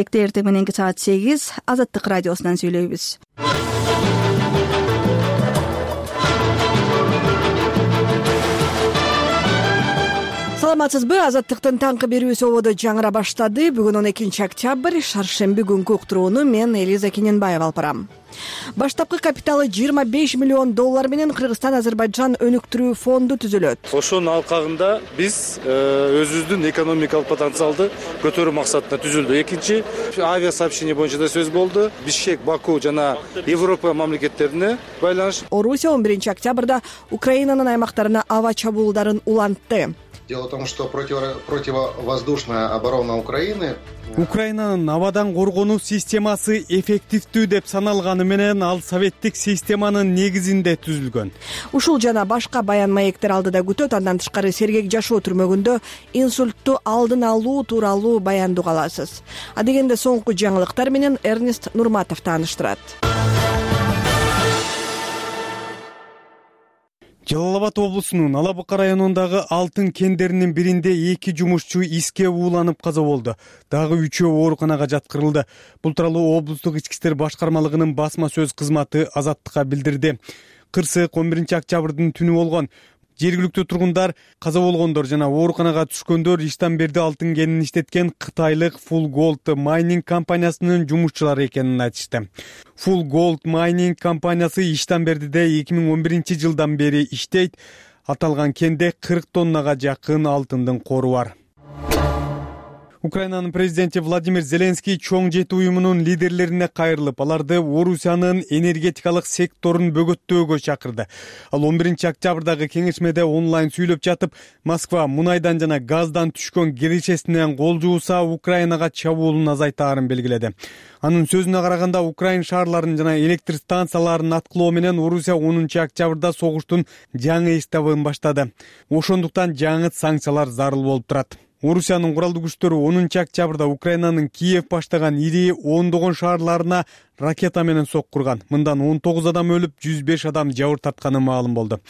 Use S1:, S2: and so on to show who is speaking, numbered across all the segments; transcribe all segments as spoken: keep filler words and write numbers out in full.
S1: Эртең мененки саат сегиз Азаттык радиосунан сүйлөйбүз. Саламатсызбы? Азаттыктын таңкы берүүсү ободо жаңыра баштады. Бүгүн он экинчи октябрь, шаршемби күнкү уктурууну мен Элиза Кененбаева алып барам. Баштапкы капиталы жыйырма беш миллион доллар менен Кыргызстан-Азербайджан өнүктүрүү фонду түзүлөт.
S2: Ошонун алкагында биз өзүбүздүн экономикалык потенциалды көтөрүү максатында түзүлдү. Экинчи авиасообщение боюнча да сөз болду. Бишкек, Баку жана Европа мамлекеттерине байланыш.
S1: Орусия он биринчи октябрда Украинанын аймактарына аба чабуулдарын улантты.
S3: Дело в том, что противовоздушная оборона Украины
S4: Украинанын абадан коргонуу системасы эффективдүү деп саналганы менен ал советтик системанын негизинде түзүлгөн.
S1: Ушул жана башка баян маектер алдыда күтөт. Андан тышкары сергек жашоо түрмөгүндө инсультту алдын алуу тууралуу баяндуу каласыз. А дегенде соңку жаңылыктар менен Эрнест Нурматов тааныштырат.
S4: Жалал Абад облусунун Ала Бука районундагы алтын кендеринин биринде эки жумушчу иске ууланып каза болду. Дагы үчөө ооруканага жаткырылды. Бул тууралуу облустук ички иштер башкармалыгынын басма сөз кызматы Азаттыкка билдирди. Кырсык он биринчи октябрдын түнү болгон. Жергиликтүү тургундар каза болгондор жана ооруканага түшкөндөр Иштамберде алтын кенин иштеткен кытайлык Full Gold Mining компаниясынын жумушчулары экенин айтышты. Full Gold Mining компаниясы Иштамбердеде эки миң он биринчи жылдан бери иштейт. Аталган кенде кырк тоннага жакын алтындын кору бар. Украинанын президенти Владимир Зеленский чоң жети уюмунун лидерлерине кайрылып, аларды Орусиянын энергетикалык секторун бөгөттөөгө чакырды. Ал он биринчи октябрдагы кеңешмеде онлайн сүйлөп жатып, Москва мунайдан жана газдан түшкөн киришесинен кол жууса Украинага чабуулун азайтаарын белгиледи. Анын сөзүнө караганда, Украин шаарларын жана электр станцияларын аткылоо менен Орусия онунчу октябрда согуштун жаңы этабын баштады. Ошондуктан жаңы санкциялар зарыл болуп турат. Орусиянын куралдуу күчтөрү онунчу октябрда Украинанын Киев баштаган ири ондогон шаарларына ракета менен соккурган. Мындан он тогуз адам өлүп, жүз беш адам жабыр тартканы маалым болду.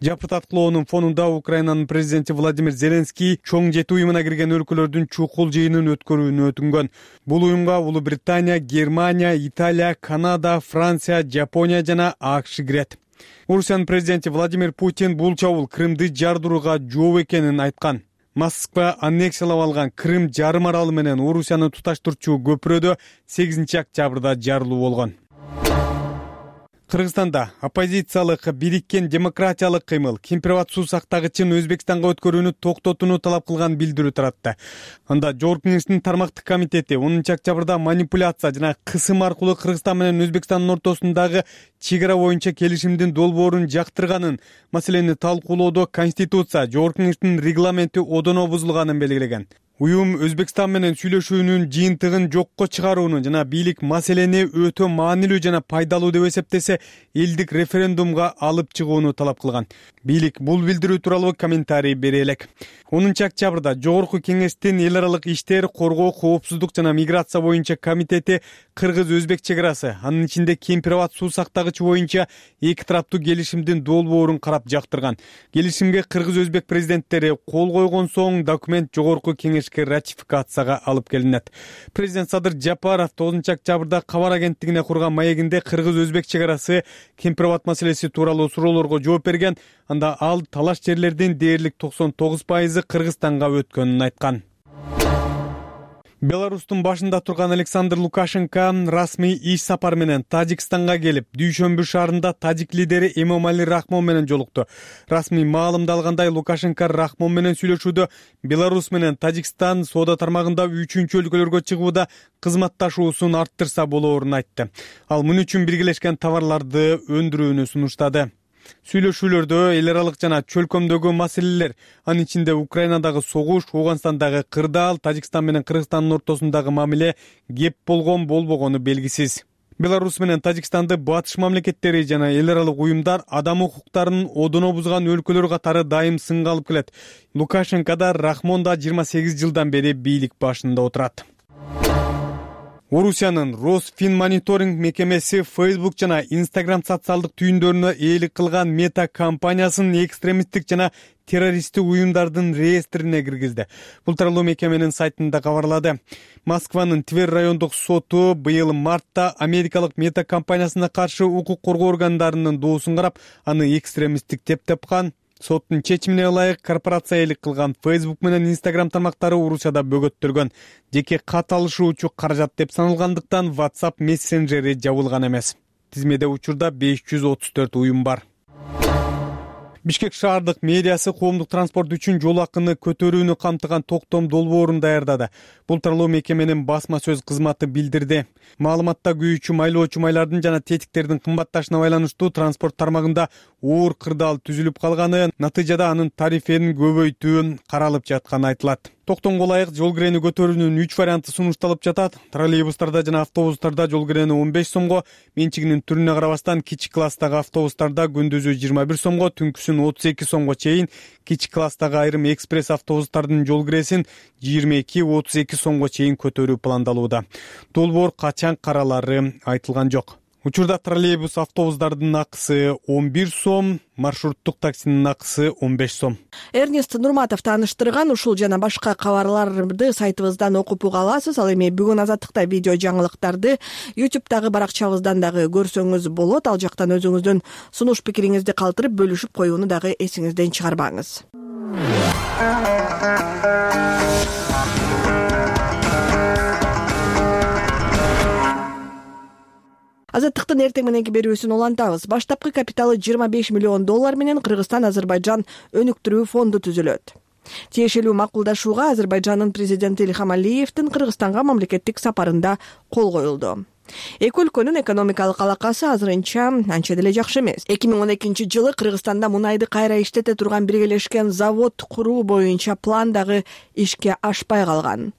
S4: Жапырт аткылоонун фонунда Украинанын президенти Владимир Зеленский чоң жети уюмуна кирген өлкөлөрдүн чукул жыйынын өткөрүүнү өтүнгөн. Бул уюмга Улуу Британия, Германия, Италия, Канада, Франция, Жапония жана АКШ кирет. Орусиянын президенти Владимир Путин бул чабуул Крымды жардырууга жооп экенин айткан. Москва аннексиялап алган Крым жарым аралы менен Орусияны туташтырчу көпүрөдө сегизинчи октябрда жарылуу болгон. Кыргызстанда оппозициялык бириккен демократиялык кыймыл Кемпирабад суу сактагычын Өзбекстанга өткөрүүнү токтотууну талап кылган билдирүү таратты. Анда Жогорку Кеңештин тармактык комитети онунчу октябрда манипуляция жана кысым аркылуу Кыргызстан менен Өзбекстандын ортосундагы чек ара боюнча келишимдин долбоорун жактырганын, маселени талкуулоодо Конституция, Жогорку Кеңештин регламенти одоно бузулганын белгилеген. Уюм Өзбекстан менен сүйлөшүүнүн жыйынтыгын жокко чыгарууну жана бийлик маселени өтө маанилүү жана пайдалуу деп эсептесе, элдик референдумга алып чыгууну талап кылган. Бийлик бул билдирүү тууралуу комментарий бере элек. онунчу октябрда Жогорку Кеңештин эл аралык иштер, коргоо, коопсуздук жана миграция боюнча комитети Кыргыз-Өзбек чек арасы, анын ичинде Кемпирабад суу сактагычы боюнча эки тараптуу келишимдин долбоорун карап жактырган. Келишимге Кыргыз-Өзбек президенттери кол койгон соң документ Жогорку Кеңешке ратификацияга алып келинет. Президент Садыр Жапаров тогузунчу октябрда кабар агенттигине курган маегинде Кыргыз-Өзбек чек арасы Кемпирабад маселеси тууралуу суроолорго жооп берген. Анда ал талаш жерлердин дээрлик токсон тогуз пайызы Кыргызстанга өткөнүн айткан. Беларустун башында турган Александр Лукашенко расмий иш сапар менен Тажикстанга келип, Дүйшөмбү шаарында тажик лидери Эмомали Рахмон менен жолукту. Расмий маалымдалгандай, Лукашенко Рахмон менен сүйлөшүүдө Беларус менен Тажикстан соода тармагында үчүнчү өлкөлөргө чыгууда кызматташуусун арттырса болоорун айтты. Ал муну үчүн биргелешкен товарларды өндүрүүнү сунуштады. Сүйлөшүүлөрдө эл аралык жана чөлкөмдөгү маселелер, анын ичинде Украинадагы согуш, Ооганстандагы кырдаал, Тажикстан менен Кыргызстандын ортосундагы мамиле кеп болгон болбогону белгисиз. Беларус менен Тажикстанды батыш мамлекеттери жана эл аралык уюмдар адам укуктарын одоно бузган өлкөлөр катары дайым сынга алып келет. Лукашенко да, Рахмон да жыйырма сегиз жылдан бери бийлик башында отурат. Орусиянын Росфинмониторинг мекемеси Facebook жана Instagram социалдык түйүндөрүнө ээлик кылган Мета компаниясын экстремисттик жана террористтик уюмдардын реестрине киргизди. Бул тууралуу мекеменин сайтында кабарлады. Москванын Тверь райондук соту быйыл мартта америкалык Мета компаниясына каршы укук коргоо органдарынын доосун карап, аны экстремисттик деп тапкан. Соттун чечимине ылайык корпорация ээлик кылган Facebook менен Instagram тармактары Орусияда бөгөттөлгөн. Жеке кат алышуучу каражат деп саналгандыктан WhatsApp мессенджери жабылган эмес. Тизмеде учурда беш жүз отуз төрт уюм бар. Бишкек шаардык мэриясы коомдук транспорт үчүн жол акыны көтөрүүнү камтыган токтом долбоорун даярдады. Бул тууралуу мекеменин басма сөз кызматы билдирди. Маалыматта күйүүчү майлоочу майлардын жана тетиктердин кымбатташына байланыштуу транспорт тармагында оор кырдаал түзүлүп калганы, натыйжада анын тарифин көбөйтүү каралып жатканы айтылат. Токтомго ылайык жол кирени көтөрүүнүн үч варианты сунушталып жатат. Троллейбустарда жана автобустарда жол кирени он беш сомго, менчигинин түрүнө карабастан кичи класстагы автобустарда күндүзү жыйырма бир сомго, түнкүсүн отуз эки сомго чейин, кичи класстагы айрым экспресс автобустардын жол киресин жыйырма эки отуз эки сомго чейин көтөрүү пландалууда. Долбоор качан каралары айтылган жок. Учурда троллейбус автобустардын акысы он бир сом, маршруттук таксинин акысы он беш сом.
S1: Эрнест Нурматов тааныштырган ушул жана башка кабарларды сайтыбыздан окуп уга аласыз. Ал эми бүгүн азаттыкта видео жаңылыктарды YouTube'дагы баракчабыздан дагы көрсөңүз болот. Ал жактан өзүңүздүн сунуш пикириңизди калтырып бөлүшүп коюуну дагы эсиңизден чыгарбаңыз. Азаттыктын эртең мененки берүүсүн улантабыз. Баштапкы капиталы жыйырма беш миллион доллар менен Кыргызстан-Азербайжан өнүктүрүү фонду түзүлөт. Тиешелүү макулдашууга Азербайжандын президенти Ильхам Алиевдин Кыргызстанга мамлекеттик сапарында кол коюлду. Эки өлкөнүн экономикалык алакасы азырынча анча деле жакшы эмес. эки миң он экинчи жылы Кыргызстанда мунайды кайра иштете турган биргелешкен завод куруу боюнча план дагы ишке ашпай калган.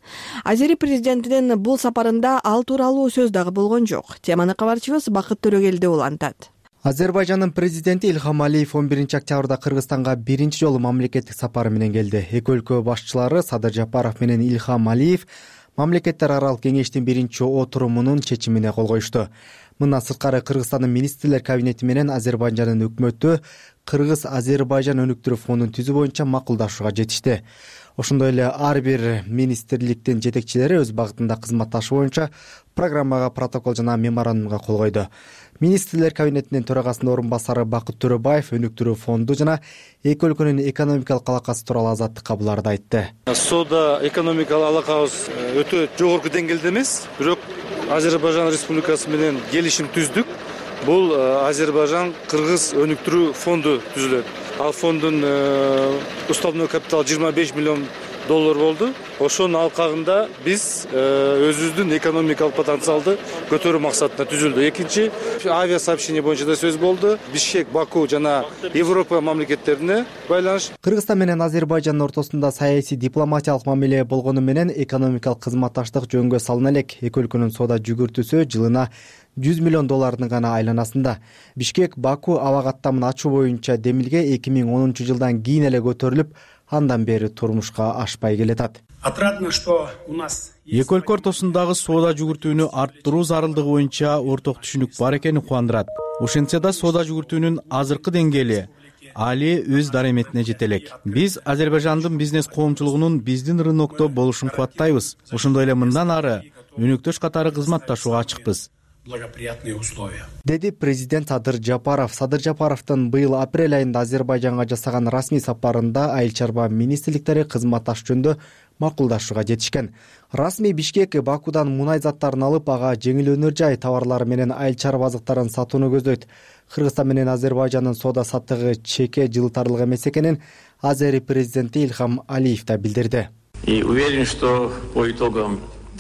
S1: Азери президентинин бул сапарында ал тууралуу сөз дагы болгон жок. Теманы кабарчыбыз Бакыт Төрөгелди улантат.
S5: Азербайжандын президенти Ильхам Алиев он биринчи октябрда Кыргызстанга биринчи жолу мамлекеттик сапары менен келди. Эки өлкө башчылары Садыр Жапаров менен Ильхам Алиев Мамлекеттер аралык кеңештин биринчи отурумунун чечимине кол коюшту. Мындан сырткары Кыргызстандын министрлер кабинети менен Азербайжандын өкмөтү Кыргыз-Азербайжан өнүктүрүү фондун түзүү боюнча макулдашууга жетишти. Ошондой эле ар бир министрликтин жетекчилери өз багытында кызматташуу боюнча программага, протокол жана меморандумга кол койду. Министрлер кабинетинин төрагасынын орун басары Бакыт Төрөбаев өнүктүрүү фонду жана эки өлкөнүн экономикалык алакасы тууралуу азаттыкка буларды айтты.
S2: Соода экономикалык алакабыз өтө жогорку деңгээлде эмес, бирок Азербайжан Республикасы менен келишим түздүк. Бул Азербайжан Кыргыз өнүктүрүү фонду түзүлөт. Ал фондун уставной капиталы жыйырма беш миллион доллар болду. Ошонун алкагында биз өзүбүздүн экономикалык потенциалды көтөрүү максатында түзүлдү. Экинчи авиа сообщение боюнча да сөз болду. Бишкек, Баку жана Европа мамлекеттерине байланыш.
S5: Кыргызстан менен Азербайжандын ортосунда саясий дипломатиялык мамиле болгону менен экономикалык кызматташтык жөнгө салына элек. Эки өлкөнүн соода жүгүртүүсү жылына жүз миллион доллардын гана айланасында. Бишкек Баку аба каттамын ачуу боюнча демилге эки миң онунчу жылдан кийин эле көтөрүлүп, андан бери турмушка ашпай келатат.
S6: Отрадно, что у нас
S7: эки өлкө ортосундагы соода жүгүртүүнү арттыруу зарылдыгы боюнча орток түшүнүк бар экени кубандырат. Ошентсе да соода жүгүртүүнүн азыркы деңгээли али өз дараметине жете элек. Биз Азербайжандын бизнес коомчулугунун биздин рынокто болушун кубаттайбыз. Ошондой эле мындан ары өнөктөш катары кызматташууга ачыкпыз.
S6: Благоприятные условия.
S5: Деди президент Садыр Жапаров. Садыр Жапаровдун быйыл апрель айында Азербайжанга жасаган расмий сапарында айыл чарба министрликтери кызматташ жөнүндө макулдашууга жетишкен. Расмий Бишкек Бакудан мунай заттарын алып, ага жеңил өнөр жай товарлары менен айыл чарба азыктарын сатууну көздөйт. Кыргызстан менен Азербайжандын соода саттыгы чеке жылытарлык эмес экенин Азери президенти Ильхам Алиев да билдирди.
S8: И уверен, что по итогам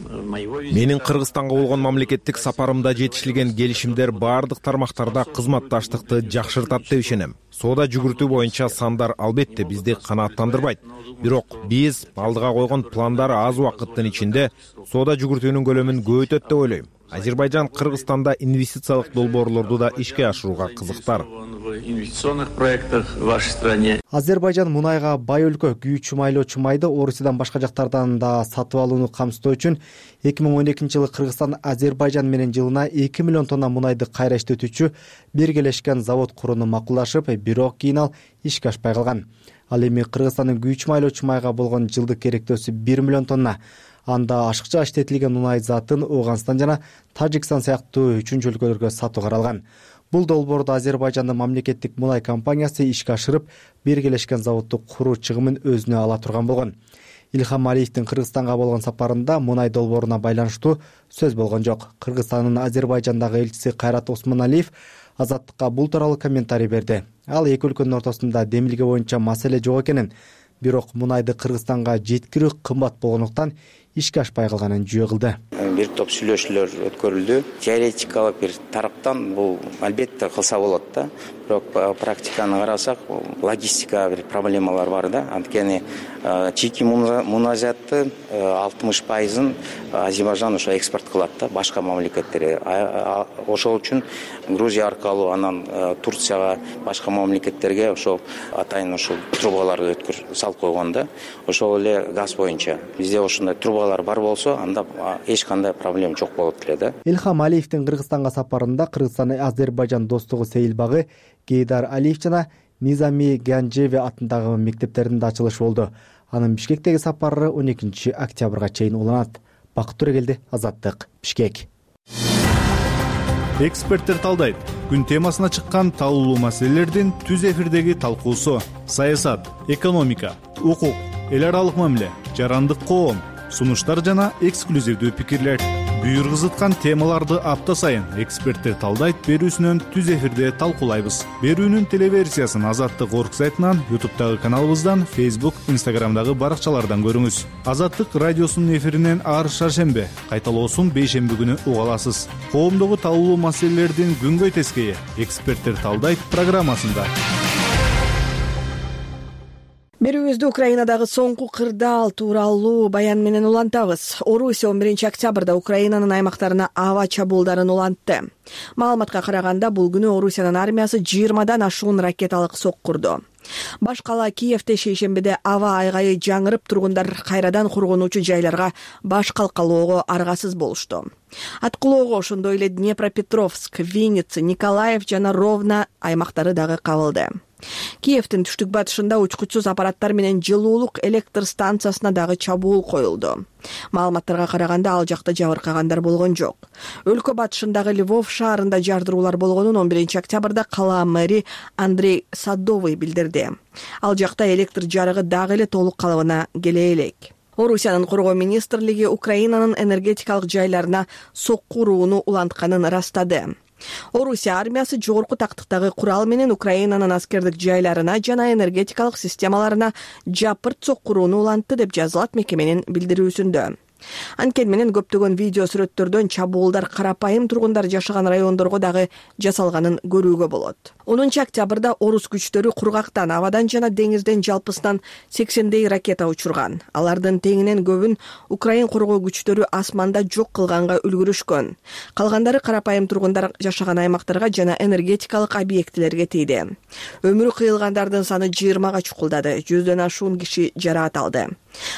S9: Менин Кыргызстанга болгон мамлекеттик сапарымда жетишилген келишимдер бардык тармактарда кызматташтыкты жакшыртат деп ишенем. Соода жүгүртүү боюнча сандар албетте бизди канааттандырбайт. Бирок биз алдыга койгон пландар аз убакыттын ичинде соода жүгүртүүнүн көлөмүн көбөйтөт деп ойлойм. Азербайжан Кыргызстанда инвестициялык долбоорлорду да ишке ашырууга кызыктар.
S8: в инвестиционных проектах в вашей стране.
S5: Азербайжан мунайга бай өлкө. Күйүүчү майлоочу майды Орусиядан башка жактардан да сатып алууну камсыздоо үчүн эки миң он экинчи жылы Кыргызстан Азербайжан менен жылына эки миллион тонна мунайды кайра иштетүүчү биргелешкен завод курууну макулдашып, бирок кийин ал ишке ашпай калган. Ал эми Кыргызстандын күйүүчү майлоочу майга болгон жылдык керектөөсү бир миллион тонна. Анда ашыкча иштетилген мунай затын Ооганстан жана Тажикстан сыяктуу үчүнчү өлкөлөргө сатуу каралган. Бул долбоорду Азербайжандын мамлекеттик мунай компаниясы ишке ашырып, биргелешкен заводду куруу чыгымын өзүнө ала турган болгон. Илхам Алиевдин Кыргызстанга болгон сапарында мунай долбооруна байланыштуу сөз болгон жок. Кыргызстандын Азербайжандагы элчиси Кайрат Осмоналиев Азаттыкка бул тууралуу комментарий берди. Ал эки өлкөнүн ортосунда демилге боюнча маселе жок экенин, бирок мунайды Кыргызстанга жеткирүү кымбат болгондуктан ишке ашпай калганын жүйө кылды.
S10: Бир топ сүйлөшүүлөр өткөрүлдү. Теоретикалык бир тараптан бул албетте кылса болот да. Бирок практиканы карасак, логистика бир проблемалар бар да. Анткени чийки муназятты алтымыш пайызын Азербайжан ошо экспорт кылат да башка мамлекеттерге. Ошол үчүн Грузия аркылуу, анан Турцияга, башка мамлекеттерге ошол атайын ошол трубаларды өткөр салып койгон да. Ошол эле газ боюнча. Бизде ошондой трубалар бар болсо, анда эч кандай проблема жок болот эле да.
S5: Илхам Алиевдин Кыргызстанга сапарында Кыргызстан Азербайжан достугу сейилбагы, Гейдар Алиев жана Низами Ганжеви атындагы мектептеринде ачылыш болду. Анын Бишкектеги сапары он экинчи октябрга чейин уланат. Бакыт Төрөгелди, Азаттык, Бишкек.
S11: Эксперттер талдайт. Күн темасына чыккан талкуулуу маселелердин түз эфирдеги талкуусу: саясат, экономика, укук, эл аралык мамиле, жарандык коом, сунуштар жана эксклюзивдүү пикирлер. Буйргузуткан темаларды апта сайын эксперттер талдайт берүүсүнөн түз эфирде талкуулайбыз. Берүүнүн телеверсиясын Азаттык орг сайтынан, ютубтагы каналыбыздан, Facebook, Instagramдагы баракчалардан көрүңүз. Азаттык радиосунун эфиринен ар шаршембе, кайталоосун бейшемби күнү уга аласыз. Коомдогу талкуулуу маселелердин күнгөй тескейи эксперттер талдайт программасында.
S1: Берүүбүздү Украинадагы соңку кырдаал тууралуу баян менен улантабыз. Орусия он биринчи октябрда Украинанын аймактарына аба чабуулдарын улантты. Маалыматка караганда, бул күнү Орусиянын армиясы жыйырмадан ашуун ракеталык сок курду. Баш кала Киевде шейшембиде аба айгайы жаңырып, тургундар кайрадан кургонуучу жайларга баш калкалоого аргасыз болушту. Аткылоого ошондой эле Днепропетровск, Винница, Николаев жана Ровно аймактары дагы кабылды. Киевдин түштүк батышында учкучсуз аппараттар менен жылуулук электр станциясына дагы чабуул коюлду. Маалыматтарга караганда, ал жакта жабыркагандар болгон жок. Өлкө батышындагы Львов шаарында жардыруулар болгонун он биринчи октябрда кала мэри Андрей Садовый билдирди. Ал жакта электр жарыгы дагы эле толук калыбына келе элек. Орусиянын коргоо министрлиги Украинанын энергетикалык жайларына сок курууну улантканын ырастады. Орусия армиясы жогорку тактыктагы курал менен Украинанын аскердик жайларына жана энергетикалык системаларына жапырт сок курууну улантты деп жазылат мекеменин билдирүүсүндө. Анткени менен көптөгөн видео сүрөттөрдөн чабуулдар карапайым тургундар жашаган райондорго дагы жасалганын көрүүгө болот. онунчу октябрда орус күчтөрү кургактан, абадан жана деңизден жалпысынан сексендей ракета учурган. Алардын теңинен көбүн Украин коргоо күчтөрү асманда жок кылганга үлгүрүшкөн. Калгандары карапайым тургундар жашаган аймактарга жана энергетикалык объектилерге тийди. Өмүрү кыйылгандардын саны жыйырмага чукулдады. Жүздөн ашуун киши жараат алды.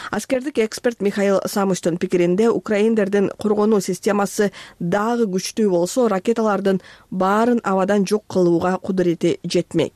S1: Аскердик эксперт Михаил Самустун пикиринде, украиндердин коргонуу системасы дагы күчтүү болсо, ракеталардын баарын абадан жок кылууга кудурети жетмек.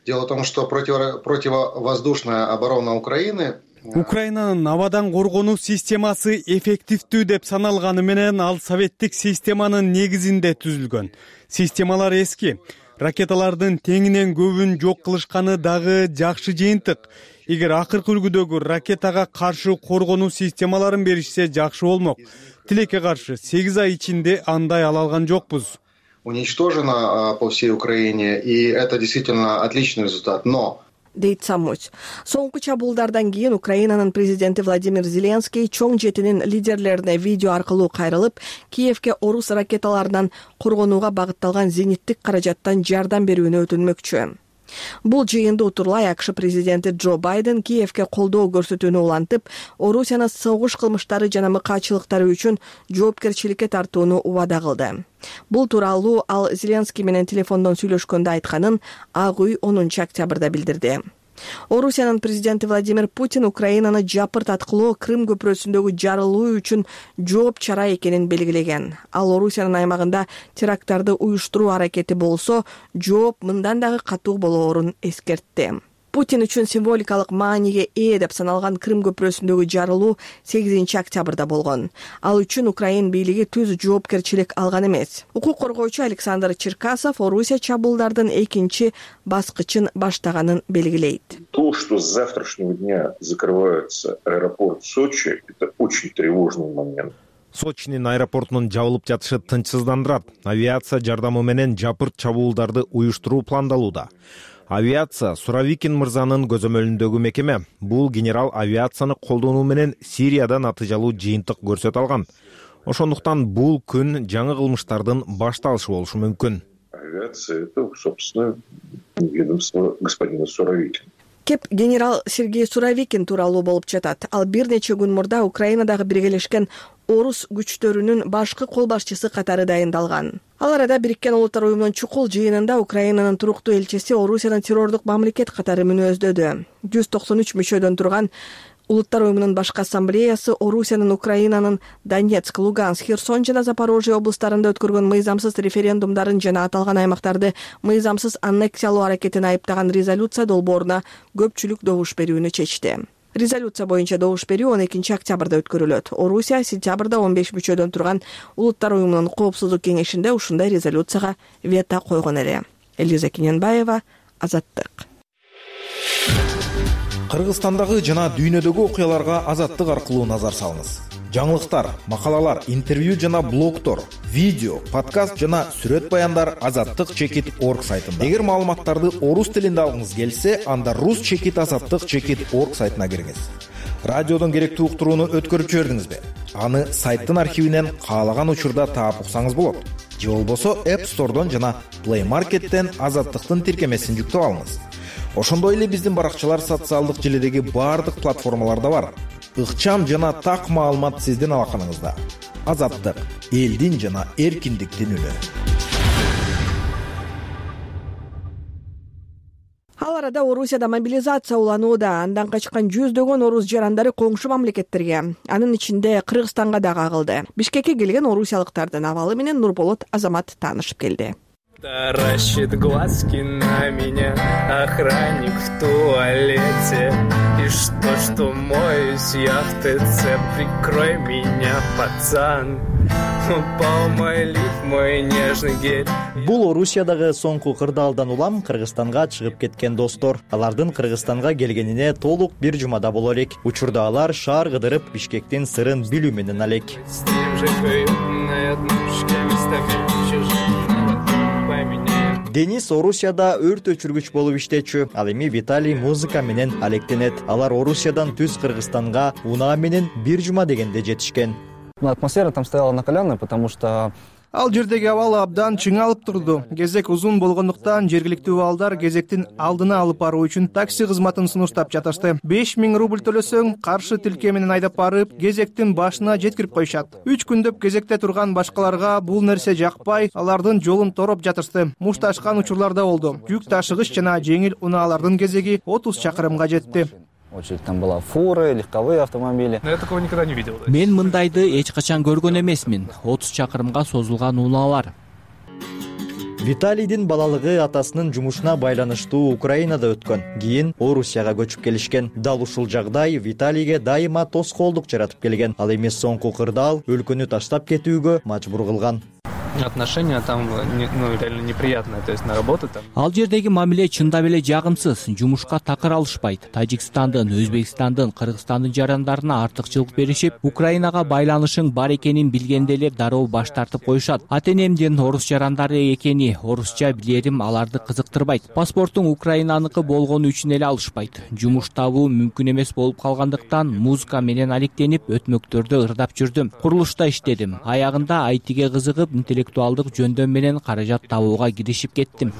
S3: Дело в том, что противовоздушная оборона Украины
S4: Украинанын абадан коргонуу системасы эффективдүү деп саналганы менен, ал советтик системанын негизинде түзүлгөн. Системалар эски. Ракеталардын теңинен көбүн жок кылышканы дагы жакшы жыйынтык. Эгер акыркы үлгүдөгү ракетага каршы коргонуу системаларын беришсе жакшы болмок. Тилекке каршы сегиз ай ичинде андай ала алган жокпуз.
S3: Уничтожено по всей Украине, и это действительно отличный результат, но
S1: дейт Самусь. Соңку чабуулдардан кийин Украинанын президенти Владимир Зеленский чоң жетинин лидерлерине видео аркылуу кайрылып, Киевге орус ракеталарынан коргонууга багытталган зениттик каражаттан жардам берүүнү өтүнмөкчү. Бул жыйынды утурлай АКШ президенти Джо Байден Киевке колдоо көрсөтүүнү улантып, Орусияны согуш кылмыштары жана мыкаачылыктары үчүн жоопкерчиликке тартууну убада кылды. Бул тууралуу ал Зеленский менен телефондон сүйлөшкөндө айтканын Ак үй онунчу октябрда билдирди. Орусиянын президенти Владимир Путин Украинаны жапыртаткылоо Крым көпүрөсүндөгү жарылуу үчүн жооп чара экенин белгилеген. Ал Орусиянын аймагында теракттарды уюштуруу аракети болсо, жооп мындан дагы катуу болоорун эскертти. Путин үчүн символикалык мааниге ээ деп саналган Крым көпүрөсүндөгү жарылуу сегизинчи октябрда болгон. Ал үчүн Украин бийлиги түз жоопкерчилик алган эмес. Укук коргоочу Александр Черкасов Орусия чабуулдардын экинчи баскычын баштаганын белгилейт.
S12: То, что с завтрашнего дня закрывается аэропорт Сочи, это очень тревожный момент.
S9: Сочинин аэропортунун жабылып жатышы тынчсыздандырат. Авиация жардамы менен жапырт чабуулдарды уюштуруу пландалууда. Авиация Суровикин мырзанын көзөмөлүндөгү мекеме. Бул генерал авиацияны колдонуу менен Сирияда натыйжалуу жыйынтык көрсөтө алган. Ошондуктан бул күн жаңы кылмыштардын башталышы болушу мүмкүн.
S12: Авиация — это, собственно, ведомство господина Суровикина.
S1: Кеп генерал Сергей Суровикин тууралуу болуп жатат. Ал бир нече күн мурда Украинадагы биргелешкен орус күчтөрүнүн башкы кол башчысы катары дайындалган. Ал арада Бириккен Улуттар уюмунун чукул жыйынында Украинанын туруктуу элчиси Орусиянын террордук мамлекет катары мүнөздөдү. жүз токсон үч мүчөдөн турган Улуттар уюмунун башкы ассамблеясы Орусиянын Украинанын Донецк, Луганск, Херсон жана Запорожье облустарында өткөргөн мыйзамсыз референдумдарын жана аталган аймактарды мыйзамсыз аннексиялоо аракетин айыптаган резолюция долбооруна көпчүлүк добуш берүүнү чечти. Резолюция боюнча добуш берүү он экинчи октябрда өткөрүлөт. Орусия сентябрда он беш мүчөдөн турган Улуттар уюмунун коопсуздук кеңешинде ушундай резолюцияга вето койгон эле. Элиза Киненбаева, Азаттык.
S9: Кыргызстандагы жана дүйнөдөгү окуяларга Азаттык аркылуу назар салыңыз. Жаңылыктар, макалалар, интервью жана блогтор, видео, подкаст жана сүрөт баяндар азаттык чекит точка орг сайтында. Эгер маалыматтарды орус тилинде алгыңыз келсе, анда рус чекит азаттык чекит точка орг сайтына кириңиз. Радиодон керектүү уктурууну өткөрүп жибердиңизби? Аны сайттын архивинен каалаган учурда таап уксаңыз болот. Же болбосо App Store'дон жана Play Market'тен азаттыктын тиркемесин жүктөп алыңыз. Ошондой эле биздин баракчалар социалдык желидеги баардык платформаларда бар. Ыкчам жана так маалымат сиздин алаканыңызда. Азаттык — элдин жана эркиндиктин үнү.
S1: Ал арада Орусияда мобилизация уланууда. Андан качкан жүздөгөн орус жарандары коңшу мамлекеттерге, анын ичинде Кыргызстанга дагы агылды. Бишкекке келген орусиялыктардын абалы менен Нурболот Азамат таанышып келди.
S13: Таращит глазки на меня охранник в туалете. И что, что моюсь я в ТЦ, прикрой меня, пацан. Упал мой лиф, мой нежный гель.
S14: Бул Орусиядагы соңку кырдаалдан улам Кыргызстанга чыгып кеткен достор. Алардын Кыргызстанга келгенине толук бир жумада болор элек. Учурда алар шаар кыдырып Бишкектин сырын билүү менен алек. Денис Орусияда өрт өчүргүч болуп иштечү. Ал эми Виталий музыка менен алектенет. Алар Орусиядан түз Кыргызстанга унаа менен бир жума дегенде жетишкен.
S15: Атмосфера там стояла накаленная, потому что
S16: ал жердеги абал абдан чыңалып турду. Кезек узун болгондуктан жергиликтүү абалдар кезектин алдына алып баруу үчүн такси кызматын сунуштап жатышты. беш миң рубль төлөсөң, каршы тилке менен айдап барып, кезектин башына жеткирип коюшат. үч күндөп кезекте турган башкаларга бул нерсе жакпай, алардын жолун тороп жатышты. Мушташкан учурларда болду. Жүк ташыгыч жана жеңил унаалардын кезеги отуз чакырымга жетти.
S15: Очередь там была фуры, легковые автомобили.
S13: Я такого никогда не видел.
S17: Мен мындайды эч качан көргөн эмесмин. отуз чакырымга созулган унаалар.
S14: Виталийдин балалыгы атасынын жумушуна байланыштуу Украинада өткөн. Кийин Орусияга көчүп келишкен. Дал ушул жагдай Виталийге дайыма тоскоолдук жаратып келген. Ал эми соңку кырдаал өлкөнү таштап кетүүгө мажбур кылган.
S13: Отношения там, ну, реально неприятные, то есть на работу там.
S17: Ал жердеги мамиле чындап эле жагымсыз. Жумушка такыр алышпайт. Тажикстандын, Өзбекстандын, Кыргызстандын жарандарына артыкчылык беришип, Украинага байланышың бар экенин билгенде эле дароо баш тартып коюшат. Ата-энемдин орус жарандары экени, орусча билерим аларды кызыктырбайт. Паспортуң Украинаныкы болгону үчүн эле алышпайт. Жумуш табуу мүмкүн эмес болуп калгандыктан музыка менен алектенип өтмөктөрдө ырдап жүрдүм. Курулушта иштедим. Аягында ай тиге кызыгып, интеллектуалдык жөндөм менен каражат табууга киришип кеттим.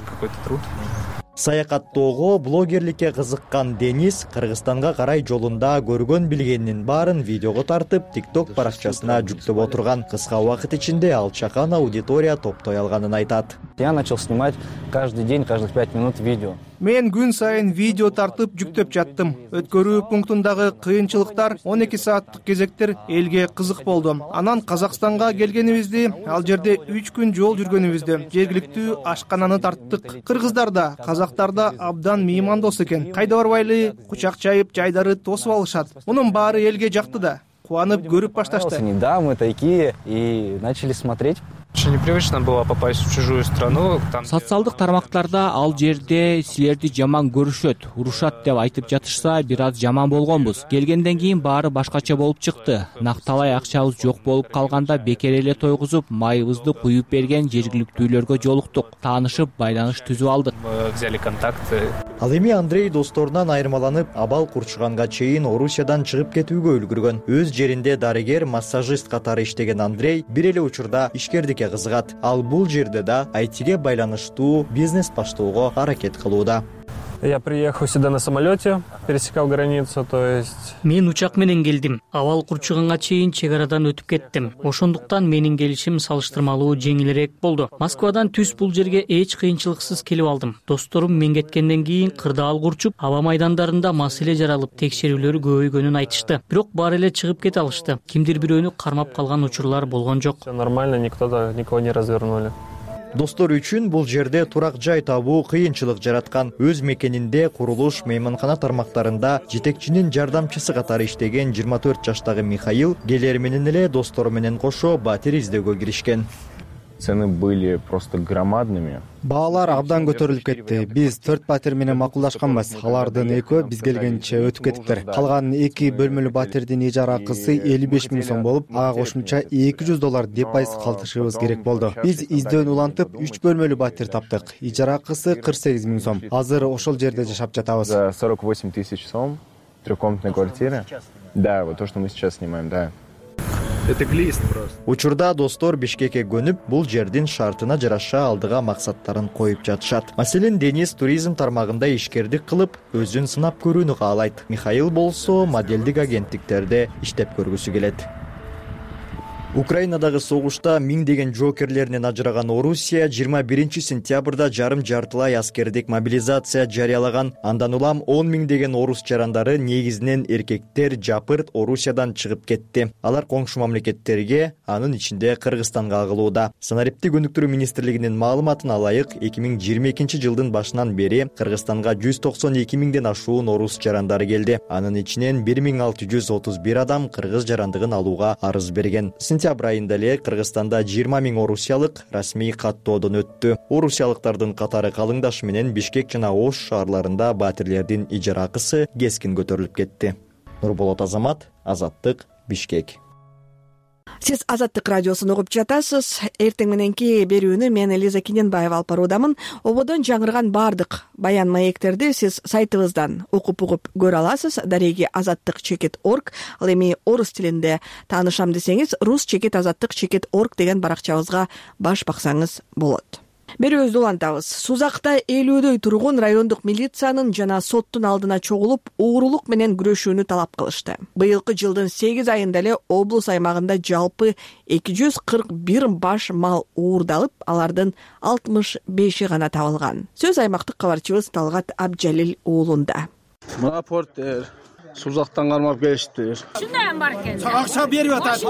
S14: Саякаттоого, блогерликке кызыккан Денис Кыргызстанга карай жолунда көргөн билгенинин баарын видеого тартып, TikTok баракчасына жүктөп отурган. Кыска убакыт ичинде ал чакан аудитория топтой алганын айтат.
S15: Я начал снимать каждый день, каждых пять минут видео.
S16: Мен күн сайын видео тартып жүктөп жаттым. Өткөрүү пунктундагы кыйынчылыктар, он эки сааттык кезектер элге кызык болду. Анан Казакстанга келгенибизди, ал жерде үч күн жол жүргөнүбүздү жергиликтүү ашкананы тарттык. Кыргыздар да, казактар да абдан меймандос экен. Кайда барбайлы, кучак чайып, жайдары тосуп алышат. Мунун баары элге жакты да. Кубанып көрүп башташты.
S15: Да, мы такие и начали смотреть.
S13: Очень непривычно было попасть в чужую страну.
S17: Социалдык тармактарда ал жерде силерди жаман көрүшөт, урушат деп айтып жатышса, бир аз жаман болгонбуз. Келгенден кийин баары башкача болуп чыкты. Накталай акчабыз жок болуп калганда бекер эле тойгузуп, майыбызды куюп берген жергиликтүүлөргө жолуктук. Таанышып, байланыш түзүп алдык.
S13: Взяли контакты.
S14: Ал эми Андрей досторунан айырмаланып, абал курчуганга чейин Орусиядан чыгып кетүүгө үлгүргөн. Өз жеринде дарыгер, массажист катары иштеген Андрей бир эле учурда ишкердикке кызыгат. Ал бул жерде да ай тиге байланыштуу бизнес баштоого аракет кылууда.
S18: Я приехал сюда на самолете, пересекал границу, то есть...
S19: Мен учак менен келдим. Абал курчуганга чейин чек арадан өтүп кеттим. Ошондуктан менин келишим салыштырмалуу жеңилирээк болду. Москвадан түз бул жерге эч кыйынчылыксыз келип алдым. Досторум мен кеткенден кийин кырдаал курчуп, аба майдандарында маселе жаралып, текшерүүлөр көбөйгөнүн айтышты. Бирок баары эле чыгып кете алышты. Кимдир бирөөнү кармап калган учурлар болгон жок.
S18: Всё нормально, никто никого не развернули.
S14: Достор үчүн бул жерде турак жай табуу кыйынчылык жараткан. Өз мекенинде курулуш, мейманкана тармактарында жетекчинин жардамчысы катары иштеген жыйырма төрт жаштагы Михаил келер менен эле достору менен кошо батир издөөгө киришкен.
S20: Цены были просто громадными.
S5: Баалар абдан көтөрүлүп кетти. Биз төрт батир менен макулдашканбыз. Алардын экөө биз келгенче өтүп кетиптир. Калган эки бөлмөлүү батирдин ижара акысы элүү беш миң сом болуп, ага кошумча эки жүз доллар депайыз калтырышыбыз керек болду. Биз издөөнү улантып, үч бөлмөлүү батир таптык. Ижара акысы кырк сегиз миң сом. Азыр ошол жерде жашап жатабыз.
S20: За сорок восемь тысяч сом, трехкомнатная квартира. Да, вот то, что мы сейчас снимаем, да.
S18: Это глист просто.
S14: Учурда достор Бишкекке көнүп, бул жердин шартына жараша алдыга максаттарын коюп жатышат. Маселен, Денис туризм тармагында ишкердик кылып, өзүн сынап көрүүнү каалайт. Михаил болсо модельдик агенттиктерде иштеп көргүсү келет. Украинадагы согушта миңдеген жоокерлеринен ажыраган Орусия жыйырма биринчи сентябрда жарым жартылай аскердик мобилизация жарыялаган. Андан улам он миңдеген орус жарандары, негизинен эркектер, жапырт Орусиядан чыгып кетти. Алар коңшу мамлекеттерге, анын ичинде Кыргызстанга агылууда. Санариптик өнүктүрүү министрлигинин маалыматына ылайык, эки миң жыйырма экинчи жылдын башынан бери Кыргызстанга жүз токсон эки миңден ашуун орус жарандары келди. Анын ичинен бир миң алты жүз отуз бир адам кыргыз жарандыгын алууга арыз берген. Сентябрь айында эле Кыргызстанда жыйырма миң орусиялык расмий каттоодон өттү. Орусиялыктардын катары калыңдашы менен Бишкек жана Ош шаарларында батирлердин ижара акысы кескин көтөрүлүп кетти. Нурболот Азамат, Азаттык, Бишкек.
S1: Сиз Азаттык радиосун угуп жатасыз. Эртең мененки берүүнү мен Элиза Кененбаева алып баруудамын. Ободон жаңырган бардык баян маектерди сиз сайтыбыздан окуп угуп көрө аласыз. Дареги азаттык чекит орг. Ал эми орус тилинде таанышам десеңиз, рус чекит азаттык чекит орг деген баракчабызга баш баксаңыз болот. Берүүбүздү улантабыз. Сузакта элүүдөй тургун райондук милициянын жана соттун алдына чогулуп, уурулук менен күрөшүүнү талап кылышты. Быйылкы жылдын сегиз айында эле облус аймагында жалпы эки жүз кырк бир баш мал уурдалып, алардын алтымыш беши гана табылган. Сөз аймактык кабарчыбыз Талгат Абджалил уулунда.
S21: Мына порттер Сузактан кармап келиштир.
S22: Чындайм бар экен.
S21: Акча берип атат.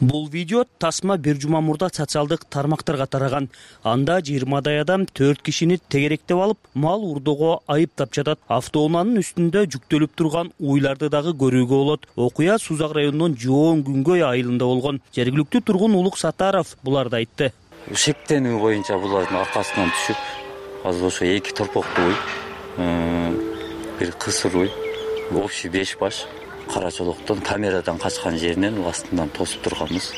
S23: Бул видео тасма бир жума мурда социалдык тармактарга тараган. Анда жыйырмадай адам төрт кишини тегеректеп алып, мал уурдоого айыптап жатат. Автоунаанын үстүндө жүктөлүп турган уйларды дагы көрүүгө болот. Окуя Сузак районунун Жоон Күнгөй айылында болгон. Жергиликтүү тургун Улук Сатаров буларды айтты.
S24: Шектенүү боюнча булардын аркасынан түшүп, азыр ошо эки торпоктуу уй, бир кысыр уй, общий беш баш Карачолоктон камерадан качкан жеринен астынан тосуп турганбыз.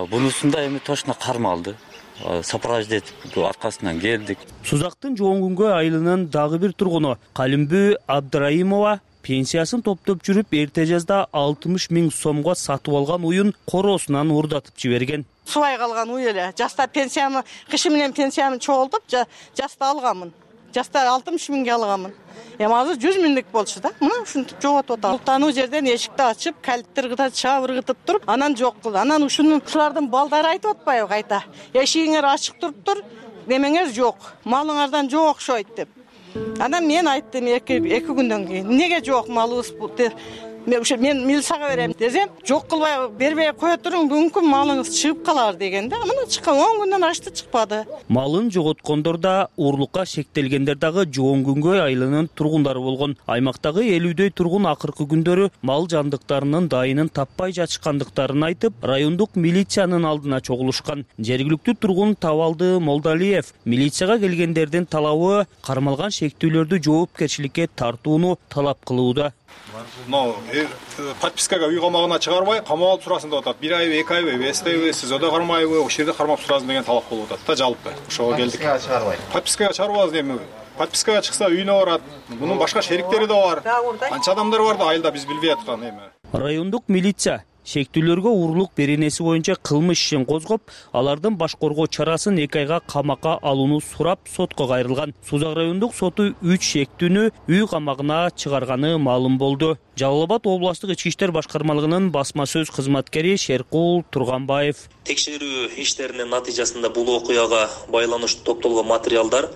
S24: Бунусунда эми точно кармалды. Сопровождетип аркасынан келдик.
S23: Сузактын Жоон Күнгөй айылынын дагы бир тургуну Калимбү Абдрайымова пенсиясын топтоп жүрүп, эрте жазда алтымыш миң сомго сатып алган уюн короосунан уурдатып жиберген.
S2: субай калган уй эле. Жаста пенсиямы, кышы менен пенсиямды чогултуп, жаста алганмын. Жаста алтымыш миңге алганмын. Эми азыр жүз миңдик болчу да. Мына ушинтип жоготуп атам. Ултануу жерден эшикти ачып, калиттер чабыргытып туруп, анан жок кылды. Анан ушуну ушулардын балдары айтып атпайбы кайта? Эшигиңер ачык туруптур, немеңер жок. Малыңардан жок окшойт деп. Анан мен айттым эки күндөн кийин. Неге жок малыбыз деп. Мен милицияга берем десем, жок кылбай бербей кое туруң, мүмкүн малыңыз чыгып калар дегенде, мына чыккан он күндөн ашты чыкпады.
S23: Малын жоготкондор да, урлукка шектелгендер дагы Жоон Күнгөй айылынын тургундары болгон. Аймактагы элүүдөй тургун акыркы күндөрү мал жандыктарынын дайынын таппай жатышкандыктарын айтып, райондук милициянын алдына чогулушкан. Жергиликтүү тургун Табалды Молдалиев милицияга келгендердин талабы кармалган шектүүлөрдү жоопкерчиликке тартууну талап кылууда.
S6: Но подпискага үй камагына чыгарбай, камап алып турасың деп атат. бир айбы, эки айбы, эстеби, сиз ода кармайбы, ошол жерде кармап турасың деген талап болуп атат да, жалпы. Ошого келдик. Подпискага чыгарбай. Подпискага чыгарбабыз эми. Подпискага чыкса үйүнө барат. Мунун башка шериктери да бар. Канча адамдар бар да айылда биз билбей аткан эми.
S23: Райондук милиция шектүүлөргө урлук беренеси боюнча кылмыш ишин козгоп, алардын баш коргоо чарасын эки айга камакка алууну сурап сотко кайрылган. Сузак райондук соту үч шектүүнү үй камагына чыгарганы маалым болду. Жалал Абад областык ички иштер башкармалыгынын басма сөз кызматкери Шеркул Турганбаев.
S7: Текшерүү иштеринин натыйжасында бул окуяга байланыштуу топтолгон материалдар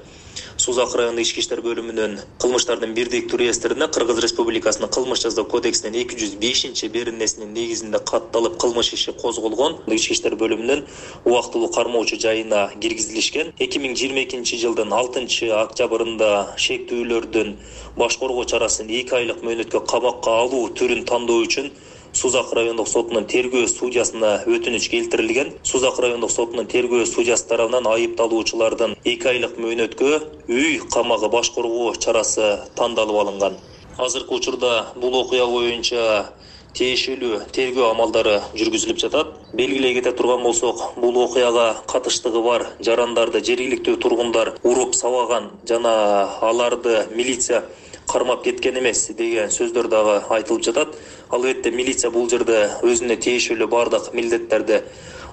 S7: Сузак райондук ички иштер бөлүмүнүн кылмыштардын бирдиктүү реестрине Кыргыз Республикасынын кылмыш жазуу кодексинин эки жүз бешинчи беренесинин негизинде катталып кылмыш иши козголгон. Ички иштер бөлүмүнүн убактылуу кармоочу жайына киргизилишкен. эки миң жыйырма экинчи жылдын алтынчы октябрында шектүүлөрдүн баш коргоо чарасын эки айлык мөөнөткө камакка алуу түрүн тандоо үчүн Сузак райондук сотунун тергөө судьясына өтүнүч келтирилген. Сузак райондук сотунун тергөө судьясы тарабынан айыпталуучулардын эки айлык мөөнөткө үй камагы баш коргоо чарасы тандалып алынган. Азыркы учурда бул окуя боюнча тиешелүү тергөө амалдары жүргүзүлүп жатат. Белгилей кете турган болсок, бул окуяга катыштыгы бар жарандарды жергиликтүү тургундар уруп сабаган жана аларды милиция кармап кеткен эмес деген сөздөр дагы айтылып жатат. Албетте милиция бул жерде өзүнө тиешелүү бардык милдеттерди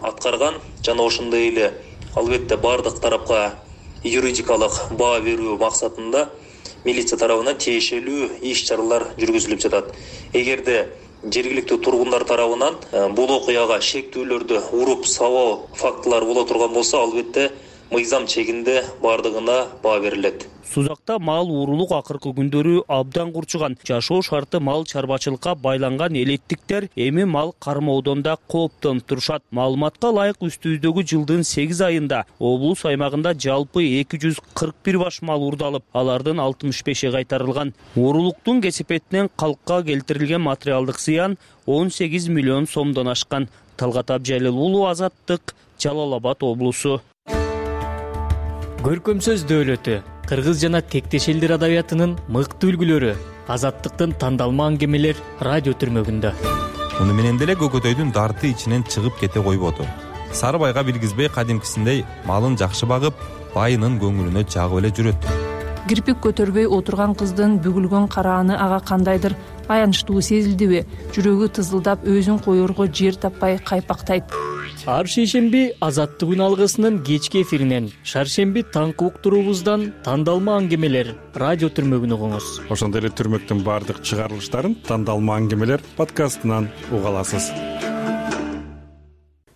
S7: аткарган жана ошондой эле албетте бардык тарапка юридикалык баа берүү максатында милиция тарабынан тиешелүү иш-чаралар жүргүзүлүп жатат. Эгерде жергиликтүү тургундар тарабынан бул окуяга шектүүлөрдү уруп сабоо фактылары боло турган болсо, албетте мыйзам чегинде бардыгына баа берилет.
S23: Сузакта мал уурулук акыркы күндөрү абдан курчуган. Жашоо шарты мал чарбачылыкка байланган элеттиктер эми мал кармоодон да кооптонуп турушат. Маалыматка ылайык үстүбүздөгү жылдын сегиз айында облус аймагында жалпы эки жүз кырк бир баш мал уурдалып, алардын алтымыш беши кайтарылган. Уурулуктун кесепетинен калкка келтирилген материалдык зыян он сегиз миллион сомдон ашкан. Талгат Абжалил уулу, Азаттык, Жалал Абад облусу.
S19: Көркөм сөз дөөлөтү, кыргыз жана тектеш элдер адабиятынын мыкты үлгүлөрү, Азаттыктын тандалма аңгемелер радио түрмөгүндө.
S22: Муну менен деле көкөтөйдүн дарты ичинен чыгып кете койбоду. Сарыбайга билгизбей кадимкисиндей малын жакшы багып, байынын көңүлүнө жагып эле жүрөт.
S25: Кирпик көтөрбөй отурган кыздын бүгүлгөн карааны ага кандайдыр аянычтуу сезилдиби? Жүрөгү тызылдап, өзүн коерго жер таппай кайпактайт.
S19: Ар шейшемби Азаттык алгысынын кечки эфиринен, шаршемби таңкы уктуруубуздан тандалма аңгемелер радио түрмөгүн угуңуз.
S26: Ошондой эле түрмөктүн баардык чыгарылыштарын тандалма аңгемелер подкастынан уга аласыз.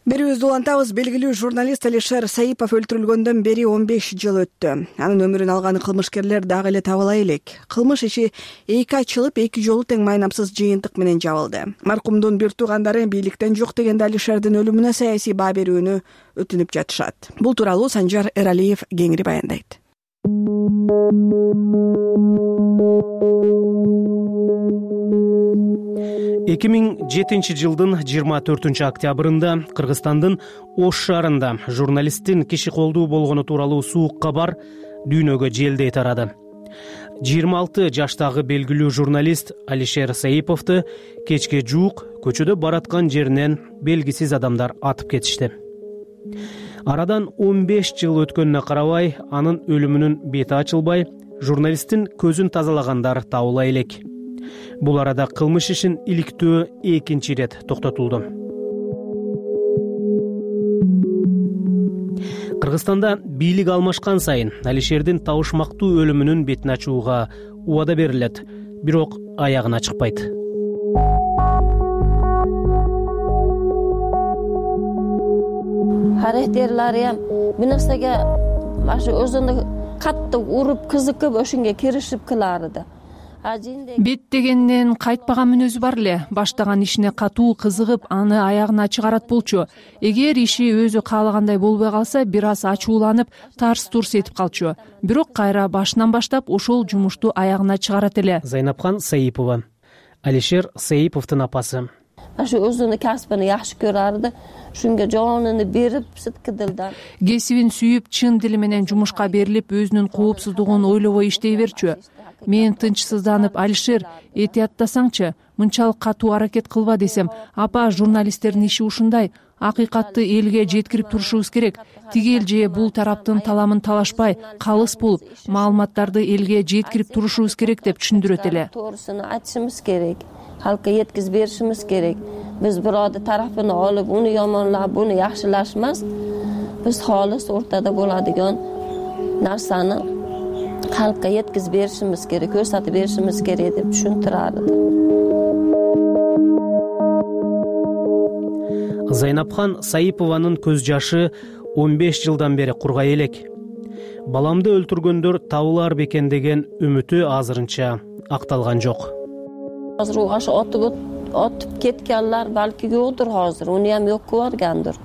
S1: Берүүбүздү улантабыз. Белгилүү журналист Алишер Саипов өлтүрүлгөндөн бери он беш жыл өттү. Анын өмүрүн алган кылмышкерлер дагы эле табыла элек. Кылмыш иши эки ачылып, эки жолу тең майнамсыз жыйынтык менен жабылды. Маркумдун бир туугандары бийликтен жок дегенде Алишердин өлүмүнө саясий баа берүүнү өтүнүп жатышат. Бул тууралуу Санжар Эралиев кеңири баяндайт.
S27: эки миң жетинчи жылдын жыйырма төртүнчү октябрында Кыргызстандын Ош шаарында журналисттин киши колдуу болгону тууралуу суук кабар дүйнөгө желдей тарады. жыйырма алты жаштагы белгилүү журналист Алишер Саиповду кечке жуук көчөдө бараткан жеринен белгисиз адамдар атып кетишти. Арадан он беш жыл өткөнүнө карабай, анын өлүмүнүн бети ачылбай, журналисттин көзүн тазалагандар табыла элек. Бул арада кылмыш ишин иликтөө экинчи ирет токтотулду. Кыргызстанда бийлик алмашкан сайын Алишердин табышмактуу өлүмүнүн бетин ачууга убада берилет, бирок аягына чыкпайт.
S3: Характерлери ham bir narsaga mana shu o'zini qattiq urib, qiziqib o'shunga kirishib qilardi.
S25: Бет дегенден кайтпаган мүнөзү бар эле. Баштаган ишине катуу кызыгып, аны аягына чыгарат болчу. Эгер иши өзү каалагандай болбой калса, бир аз ачууланып, тарс-турс этип калчу. Бирок кайра башынан баштап ошол жумушту аягына чыгарат эле.
S27: Зайнапхан Саипова, Алишер Саиповдун апасы.
S3: Ашу өзүнүн касбын жакшы көрөрдү. Шунга жонуну берип, сыткы дилдан.
S25: Кесибин сүйүп, чын дили менен жумушка берилип, өзүнүн коопсуздугун ойлобой иштей берчү. Мен тынчсызданып, Алишер, этияттасаңчы, мынчалык катуу аракет кылба десем, апа, журналисттердин иши ушундай, акыйкатты элге жеткирип турушубуз керек. Тигел же бул тараптын таламын талашпай, калыс болуп, маалыматтарды элге жеткирип турушубуз керек деп түшүндүрөт эле.
S3: To'g'risini aytishimiz kerak. Xalqqa yetkazib berishimiz kerak. Biz birovni tarafini olib, uni yomonlab, buni yaxshilash emas. Biz xolis o'rtada bo'ladigan narsani xalqqa yetkazib berishimiz kerak, ko'rsatib berishimiz kerak deb tushuntirardi.
S27: Зайнапхан Саипованын көз жашы он беш жылдан бери кургай элек. Баламды өлтүргөндөр табылар бекен деген үмүтү азырынча акталган жок.
S3: Hozir u ash otib otib ketganlar balki yo'qdir hozir, uni ham yo'q ko'rgandir.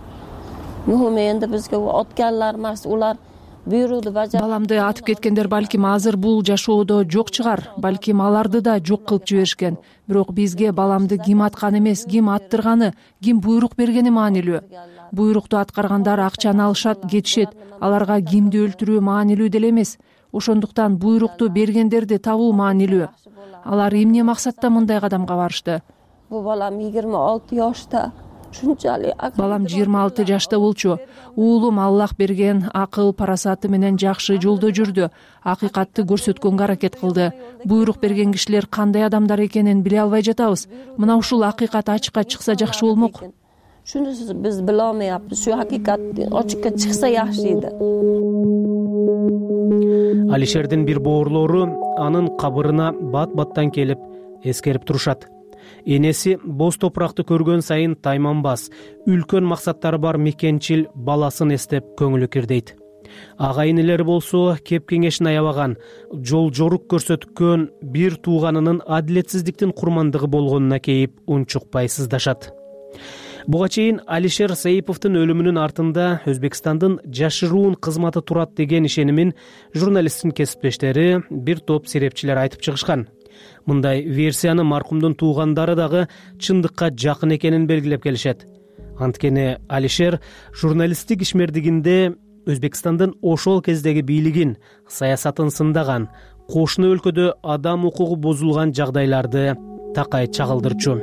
S3: Muhimi endi bizga otganlar emas, ular buyruqni bajar.
S25: Баламды атып кеткендер балким азыр бул жашоодо жок чыгар, балким аларды да жок кылып жиберишкен. Бирок бизге баламды ким аткан эмес, ким аттырганы, ким буйрук бергени маанилүү. Буйрукту аткаргандар акчаны алышат, кетишет. Аларга кимди өлтүрүү маанилүү деле эмес. Ошондуктан буйрукту бергендерди табуу маанилүү. Алар эмне максатта мындай кадамга барышты?
S3: Bu balam yigirma olti yoshda. Shunchalik
S25: Балам жыйырма алты жашта болчу. Уулум Аллах берген акыл, парасаты менен жакшы жолдо жүрдү. Акыйкатты көрсөткөнгө аракет кылды. Буйрук берген кишилер кандай адамдар экенин биле албай жатабыз. Мына ушул акыйкат ачыкка чыкса жакшы болмок.
S3: Shunisiz biz bila olmayapmiz. Shu haqiqat ochiqqa chiqsa yaxshi edi.
S27: Алишердин бир боорлору анын кабырына бат-баттан келип эскерип турушат. Энеси боз топуракты көргөн сайын тайманбас, үлкөн максаттары бар мекенчил баласын эстеп көңүлү кирдейт. Агайын элери болсо кеп кеңешин аябаган, жол жорук көрсөткөн бир тууганынын адилетсиздиктин курмандыгы болгонуна кейип унчукпай сыздашат. Буга чейин Алишер Саиповдун өлүмүнүн артында Өзбекстандын жашыруун кызматы турат деген ишенимин журналисттин кесиптештери, бир топ серепчилер айтып чыгышкан. Мындай версияны маркумдун туугандары дагы чындыкка жакын экенин белгилеп келишет. Анткени Алишер журналисттик ишмердигинде Өзбекстандын ошол кездеги бийлигин, саясатын сындаган, кошуна өлкөдө адам укугу бузулган жагдайларды такай чагылдырчу.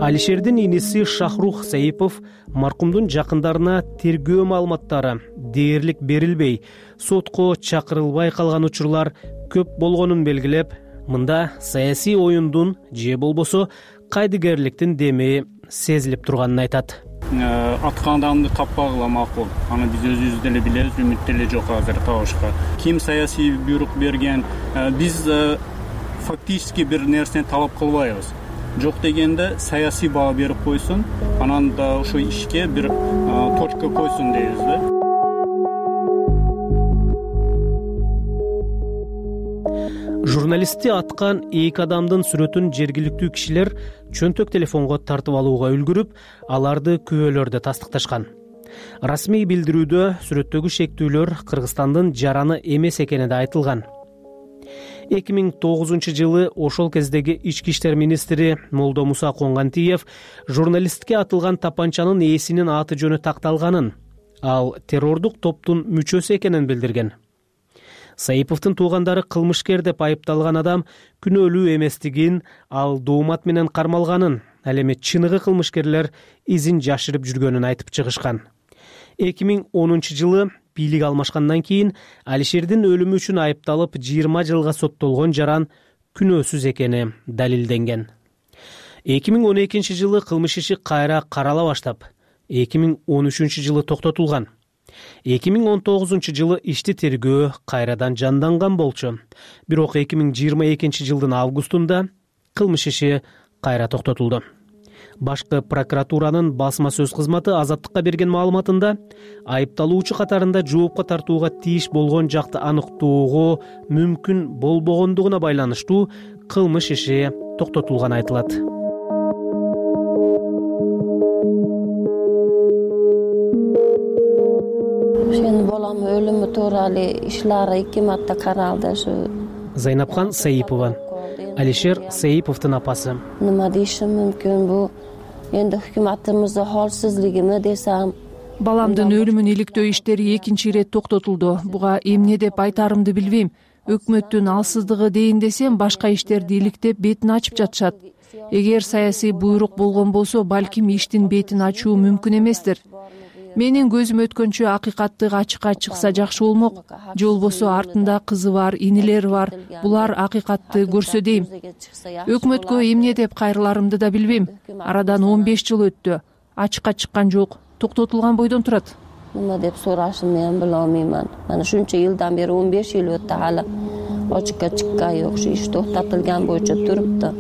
S27: Алишердин иниси Шахрух Саипов маркумдун жакындарына тергөө маалыматтары дээрлик берилбей, сотко чакырылбай калган учурлар көп болгонун белгилеп, мында саясий оюндун же болбосо кайдыгерликтин деми сезилип турганын айтат.
S4: Аткан адамды таппагыла макул. Аны биз өзүбүз деле билебиз, үмүт деле жок азыр табышка. Ким саясий буйрук берген? Биз фактически бир нерсени талап кылбайбыз. Жок дегенде саясий баа берип койсун, анан да ошо ишке бир точка койсун дейбиз да.
S27: Журналистти аткан эки адамдын сүрөтүн жергиликтүү кишилер чөнтөк телефонго тартып алууга үлгүрүп, аларды күбөлөрдө тастыкташкан. Расмий билдирүүдө сүрөттөгү шектүүлөр Кыргызстандын жараны эмес экени да айтылган. эки миң тогузунчу жылы ошол кездеги ички иштер министри Молдо Муса Коңгантиев журналистке атылган тапанчанын ээсинин аты жөнү такталганын, ал террордук топтун мүчөсү экенин билдирген. Саиповдун туугандары кылмышкер деп айыпталган адам күнөөлүү эместигин, ал доомат менен кармалганын, ал эми чыныгы кылмышкерлер изин жашырып жүргөнүн айтып чыгышкан. эки миң онунчу жылы бийлик алмашкандан кийин Алишердин өлүмү үчүн айыпталып жыйырма жылга соттолгон жаран күнөөсүз экени далилденген. эки миң он экинчи жылы кылмыш иши кайра карала баштап, эки миң он үчүнчү жылы токтотулган. эки миң он тогузунчу жылы ишти тергөө кайрадан жанданган болчу. Бирок эки миң жыйырма экинчи жылдын августунда кылмыш иши кайра токтотулду. Башкы прокуратуранын басма сөз кызматы Азаттыкка берген маалыматында айыпталуучу катарында жоопко тартууга тийиш болгон жакты аныктоого мүмкүн болбогондугуна байланыштуу кылмыш иши токтотулганы айтылат.
S3: Сенин балам өлүмү тууралуу ишлары эки марта каралды.
S27: Зайнапхан Саипова, Алишер Саиповдун апасы.
S3: Нема дейишим мүмкүн, бу энди өкмөтүмүздүн холсуздугуну десем.
S25: Баламдын өлүмүн иликтөө иштери экинчи ирет токтотулду. Буга эмне деп айтарымды билбейм. Өкмөттүн алсыздыгы дейин десем, башка иштерди иликтеп бетин ачып жатышат. Эгер саясий буйрук болгон болсо, балким иштин бетин ачуу мүмкүн эместир. Менин көзүм өткөнчө акыйкаттык ачыкка чыкса жакшы болмок. Же болбосо артында кызы бар, инилери бар. Булар акыйкатты көрсө дейм. Өкмөткө эмне деп кайрыларымды да билбейм. Арадан он беш жыл өттү. Ачыкка чыккан жок. Токтотулган бойдон турат.
S3: Нема деп сурашым мен биле алмаймын. Мана шунча жылдан бери он беш жыл өттү, алы ачыкка чыккан жок. Иш токтотулган боюнча турупту.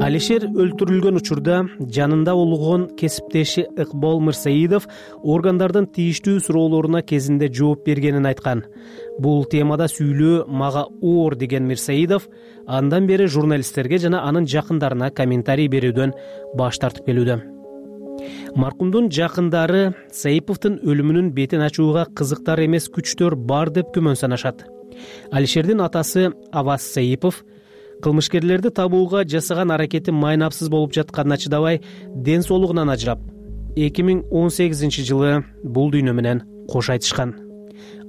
S27: Алишер өлтүрүлгөн учурда жанында болгон кесиптеши Ыкбол Мырсаидов органдардын тийиштүү суроолоруна кезинде жооп бергенин айткан. Бул темада сүйлөө мага оор деген Мырсаидов андан бери журналисттерге жана анын жакындарына комментарий берүүдөн баш тартып келүүдө. Маркумдун жакындары Саиповдун өлүмүнүн бетин ачууга кызыктар эмес күчтөр бар деп күмөн санашат. Алишердин атасы Аваз Саипов кылмышкерлерди табууга жасаган аракети майнапсыз болуп жатканына чыдабай, ден соолугунан ажырап, эки миң он сегизинчи жылы бул дүйнө менен кош айтышкан.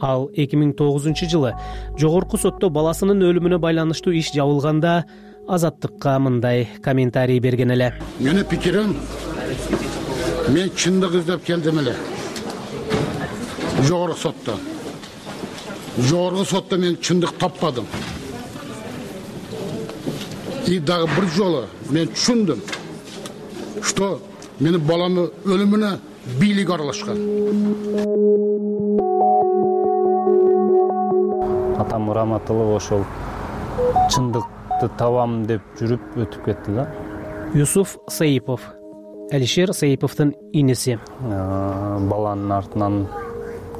S27: Ал эки миң тогузунчу жылы жогорку сотто баласынын өлүмүнө байланыштуу иш жабылганда Азаттыкка мындай комментарий берген эле.
S8: Менин пикирим, мен чындык издеп келдим эле. Жогорку сотто. Жогорку сотто мен чындык таппадым. И дагы бир жолу мен түшүндүм, что менин баламдын өлүмүнө бийлик аралашкан.
S9: Атам Раматылов ошол чындыкты табам деп жүрүп өтүп кетти да.
S27: Юсуф Саипов, Алишер Саиповдун иниси.
S9: Баланын артынан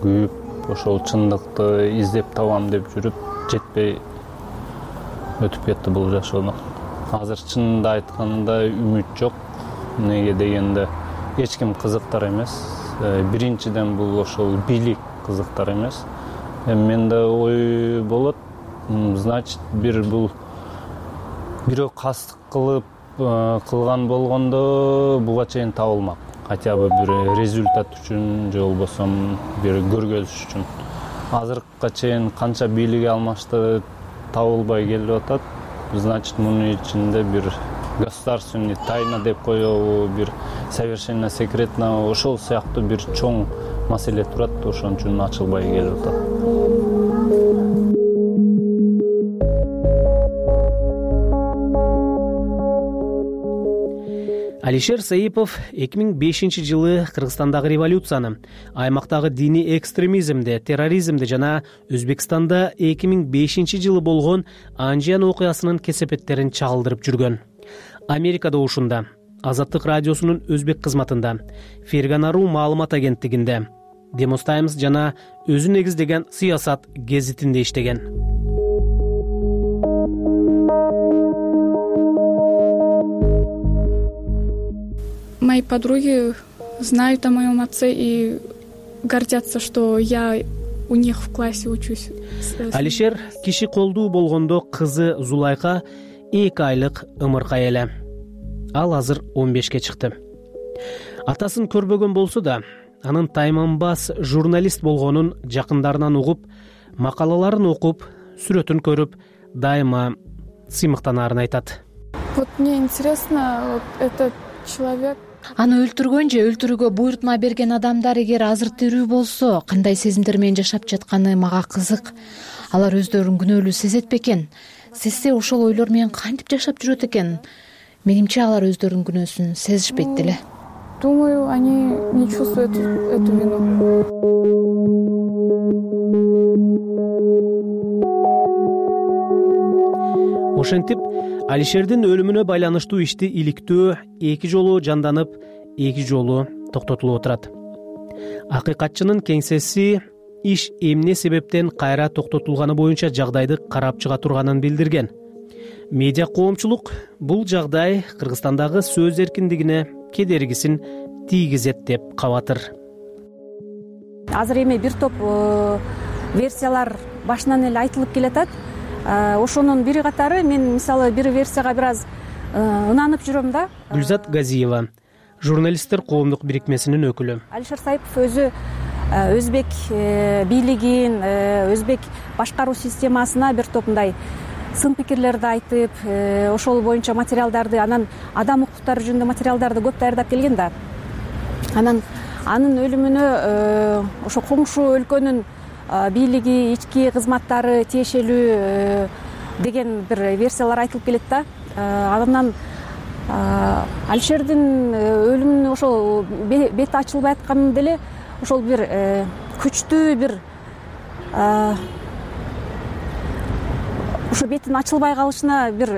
S9: күйүп, ошол чындыкты издеп табам деп жүрүп жетпей өтүп кетти бул жашоодон. Азыр чынында айтканда үмүт жок. Неге дегенде эч ким кызыктар эмес. Биринчиден бул ошол бийлик кызыктар эмес. Менде ой болот, значит, бир бул бирөө кастык кылып кылган болгондо буга чейин табылмак. Хотя бы бир результат үчүн, же болбосо бир көргөзүш үчүн. Азыркыга чейин канча бийлиги алмашты табылбай келип атат. Значит, мунун ичинде бир государственный тайна деп коебу, бир совершенно секретно, ошол сыяктуу бир чоң маселе турат, ошон үчүн ачылбай келип атат.
S27: Алишер Саипов эки миң бешинчи жылы Кыргызстандагы революцияны, аймактагы диний экстремизмди, терроризмди жана Өзбекстанда эки миң бешинчи жылы болгон Анжиян окуясынын кесепеттерин чагылдырып жүргөн. Америкада ушунда, Азаттык радиосунун өзбек кызматында, Ферганару маалымат агенттигинде, Demos Times жана өзү негиздеген Сыясат гезитинде иштеген.
S10: Мои подруги знают о моем отце и гордятся, что я у них в классе учусь.
S27: Алишер киши колдуу болгондо кызы Зулайка эки айлык ымыркай эле. Ал азыр он бешке чыкты. Атасын көрбөгөн болсо да, анын тайманбас журналист болгонун жакындарынан угуп, макалаларын окуп, сүрөтүн көрүп, дайыма сыймыктанаарын айтат.
S10: Вот мне интересно, вот этот человек
S5: Аны өлтүргөн же өлтүрүүгө буйрутма берген адамдар эгер азыр тирүү болсо, кандай сезимдер менен жашап жатканы мага кызык. Алар өздөрүн күнөөлүү сезет бекен? Сезсе ошол ойлор менен кантип жашап жүрөт экен? Менимче алар өздөрүнүн күнөөсүн сезишпейт деле.
S10: Думаю, они не чувствуют эту вину.
S27: Ошентип, Алишердин өлүмүнө байланыштуу ишти иликтөө эки жолу жанданып, эки жолу токтотулуп отурат. Акыйкатчынын кеңсеси иш эмне себептен кайра токтотулганы боюнча жагдайды карап чыга турганын билдирген. Медиа коомчулук бул жагдай Кыргызстандагы сөз эркиндигине кедергисин тийгизет деп кабатыр.
S11: Азыр эми бир топ версиялар башынан эле айтылып келатат. Ошонун бири катары мен мисалы бир версияга бир аз ынанып жүрөм да.
S27: Гүлзат Газиева, журналисттер коомдук бирикмесинин өкүлү.
S11: Алишер Саипов өзү өзбек бийлигин, өзбек башкаруу системасына бир топ мындай сын пикирлерди айтып, ошол боюнча материалдарды, анан адам укуктары жөнүндө материалдарды көп даярдап келген да. Анан анын өлүмүнө ошо коңшу өлкөнүн бийлиги, ички кызматтары тиешелүү деген бир версиялар айтылып келет да. Андан Алишердин өлүмүнүн ошол бети ачылбай атканы деле ошол бир күчтүү бир ошо бетин ачылбай калышына бир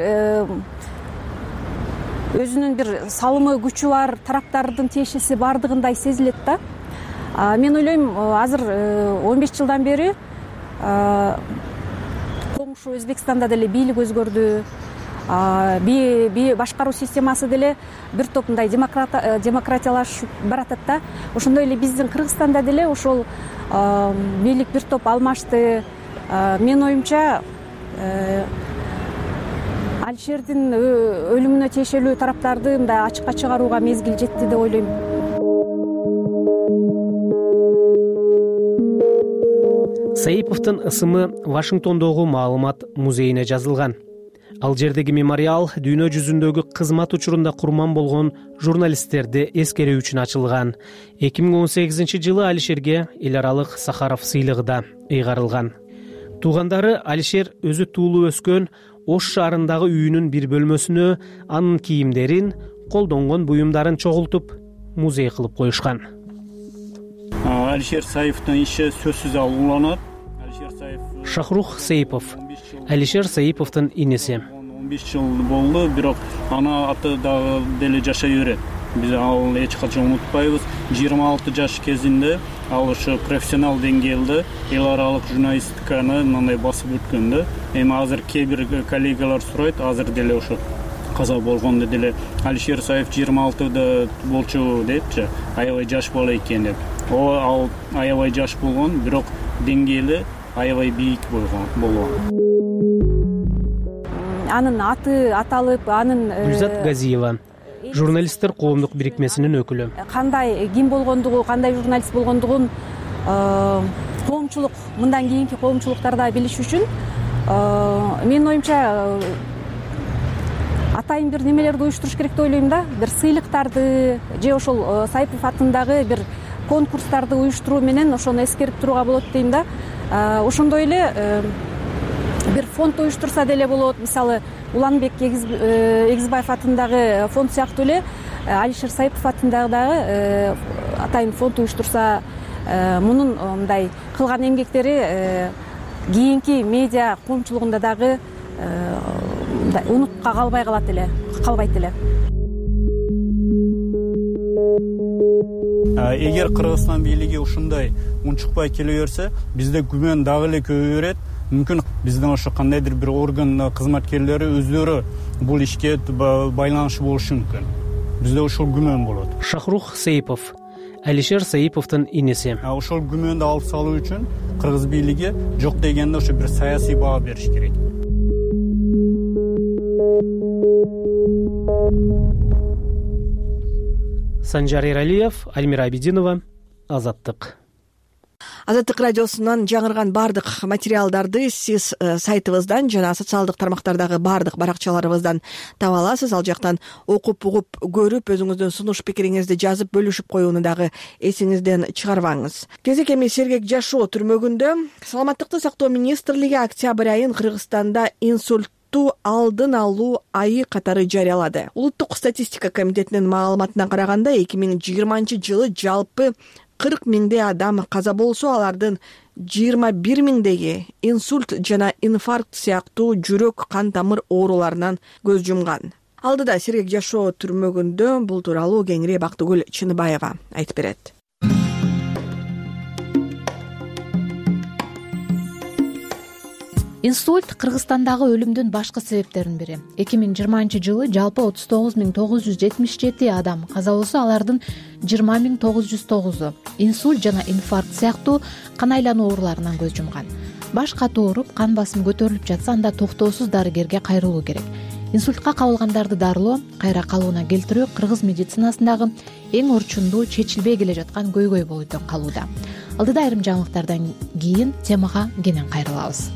S11: өзүнүн бир салымы, күчү бар тараптардын тиешеси бардыгындай сезилет да. Мен ойлойм, азыр он беш жылдан бери коңшу Өзбекстанда деле бийлик өзгөрдү, башкаруу системасы деле бир топ мындай демократиялашып баратат да. Ошондой эле биздин Кыргызстанда деле ошол бийлик бир топ алмашты. Мен оюмча Алишердин өлүмүнө тиешелүү тараптарды мындай ачыкка чыгарууга мезгил жетти деп ойлойм.
S27: Саиповдун ысымы Вашингтондогу маалымат музейине жазылган. Ал жердеги мемориал дүйнө жүзүндөгү кызмат учурунда курман болгон журналисттерди эскерүү үчүн ачылган. эки миң он сегизинчи жылы Алишерге эл аралык Сахаров сыйлыгы да ыйгарылган. Туугандары Алишер өзү туулуп өскөн Ош шаарындагы үйүнүн бир бөлмөсүнө анын кийимдерин, колдонгон буюмдарын чогултуп, музей кылып коюшкан.
S4: Алишер Саиповдун иши сөзсүз уланат.
S27: Шахрух Саипов, Алишер Саиповдун иниси.
S4: он беш жыл болду, бирок аны аты дагы деле жашай берет. Биз ал эч качан унутпайбыз. жыйырма алты жаш кезинде ал ошо профессионал деңгээлде эл аралык журналистиканы мындай басып өткөн да. Эми азыр кээ бир коллегалар сурайт, азыр деле ошо каза болгондо деле Алишер Саипов жыйырма алтыда болчу депчи, аябай жаш бала экен деп. О, ал аябай жаш болгон, бирок деңгээли аябай бийик болгон.
S11: Анын аты аталып, анын
S27: Гүлзат Газиева, журналисттер коомдук бирикмесинин өкүлү.
S11: Кандай ким болгондугу, кандай журналист болгондугун коомчулук, мындан кийинки коомчулуктарда билиш үчүн мен оюмча атайын бир немелерди уюштуруш керек деп ойлойм да. Бир сыйлыктарды же ошол Саипов атындагы бир конкурстарды уюштуруу менен ошону эскерип турууга болот дейм да. Ошондой эле бир фонд уюштурса деле болот. Мисалы, Уланбек Эгизбаев атындагы фонд сыяктуу эле Алишер Саипов атындагы дагы атайын фонд уюштурса, мунун мындай кылган эмгектери кийинки медиа коомчулугунда дагы унутка калбай калат эле, калбайт эле.
S4: Эгер Кыргызстан бийлиги ушундай унчукпай келе берсе, бизде күмөн дагы эле көбөйө берет. Мүмкүн биздин ошо кандайдыр бир орган кызматкерлери өздөрү бул ишке байланышы болушу мүмкүн. Бизде ошол күмөн болот.
S27: Шахрух Саипов, Алишер Саиповдун иниси.
S4: Ошол күмөндү алып салуу үчүн кыргыз бийлиги жок дегенде ошо бир саясий баа бериш керек.
S27: Санжар Эралиев, Альмира Абидинова, Азаттык.
S1: Азаттык радиосунан жаңырган баардык материалдарды сиз сайтыбыздан жана социалдык тармактардагы баардык баракчаларыбыздан таба аласыз. Ал жактан окуп угуп көрүп өзүңүздүн сунуш пикириңизди жазып бөлүшүп коюуну дагы эсиңизден чыгарбаңыз. Кезек эми Сергек жашоо түрмөгүндө Саламаттыкты сактоо министрлиги октябрь айын Кыргызстанда инсульт алдын алуу айы катары жарыялады. Улуттук статистика комитетинин маалыматына караганда эки миң жыйырманчы жылы жалпы кырк миңдей адам каза болсо, алардын жыйырма бир миңдеги инсульт жана инфаркт сыяктуу жүрөк кан тамыр ооруларынан көз жумган. Алдыда Сергек жашоо түрмөгүндө бул тууралуу кеңири Бактыгүл Чыныбаева айтып берет.
S5: Инсульт Кыргызстандагы өлүмдүн башкы себептеринин бири. эки миң жыйырманчы жылы жалпы отуз тогуз миң тогуз жүз жетимиш жети адам каза болсо, алардын жыйырма миң тогуз жүз тогузу инсульт жана инфаркт сыяктуу кан айлануу ооруларынан көз жумган. Баш катуу ооруп, кан басымы көтөрүлүп жатса, анда токтоосуз дарыгерге кайрылуу керек. Инсультка кабылгандарды дарылоо, кайра калыбына келтирүү кыргыз медицинасындагы эң орчундуу, чечилбей келе жаткан көйгөй болуп калууда. Алдыда айрым жаңылыктардан кийин темага кенен кайрылабыз.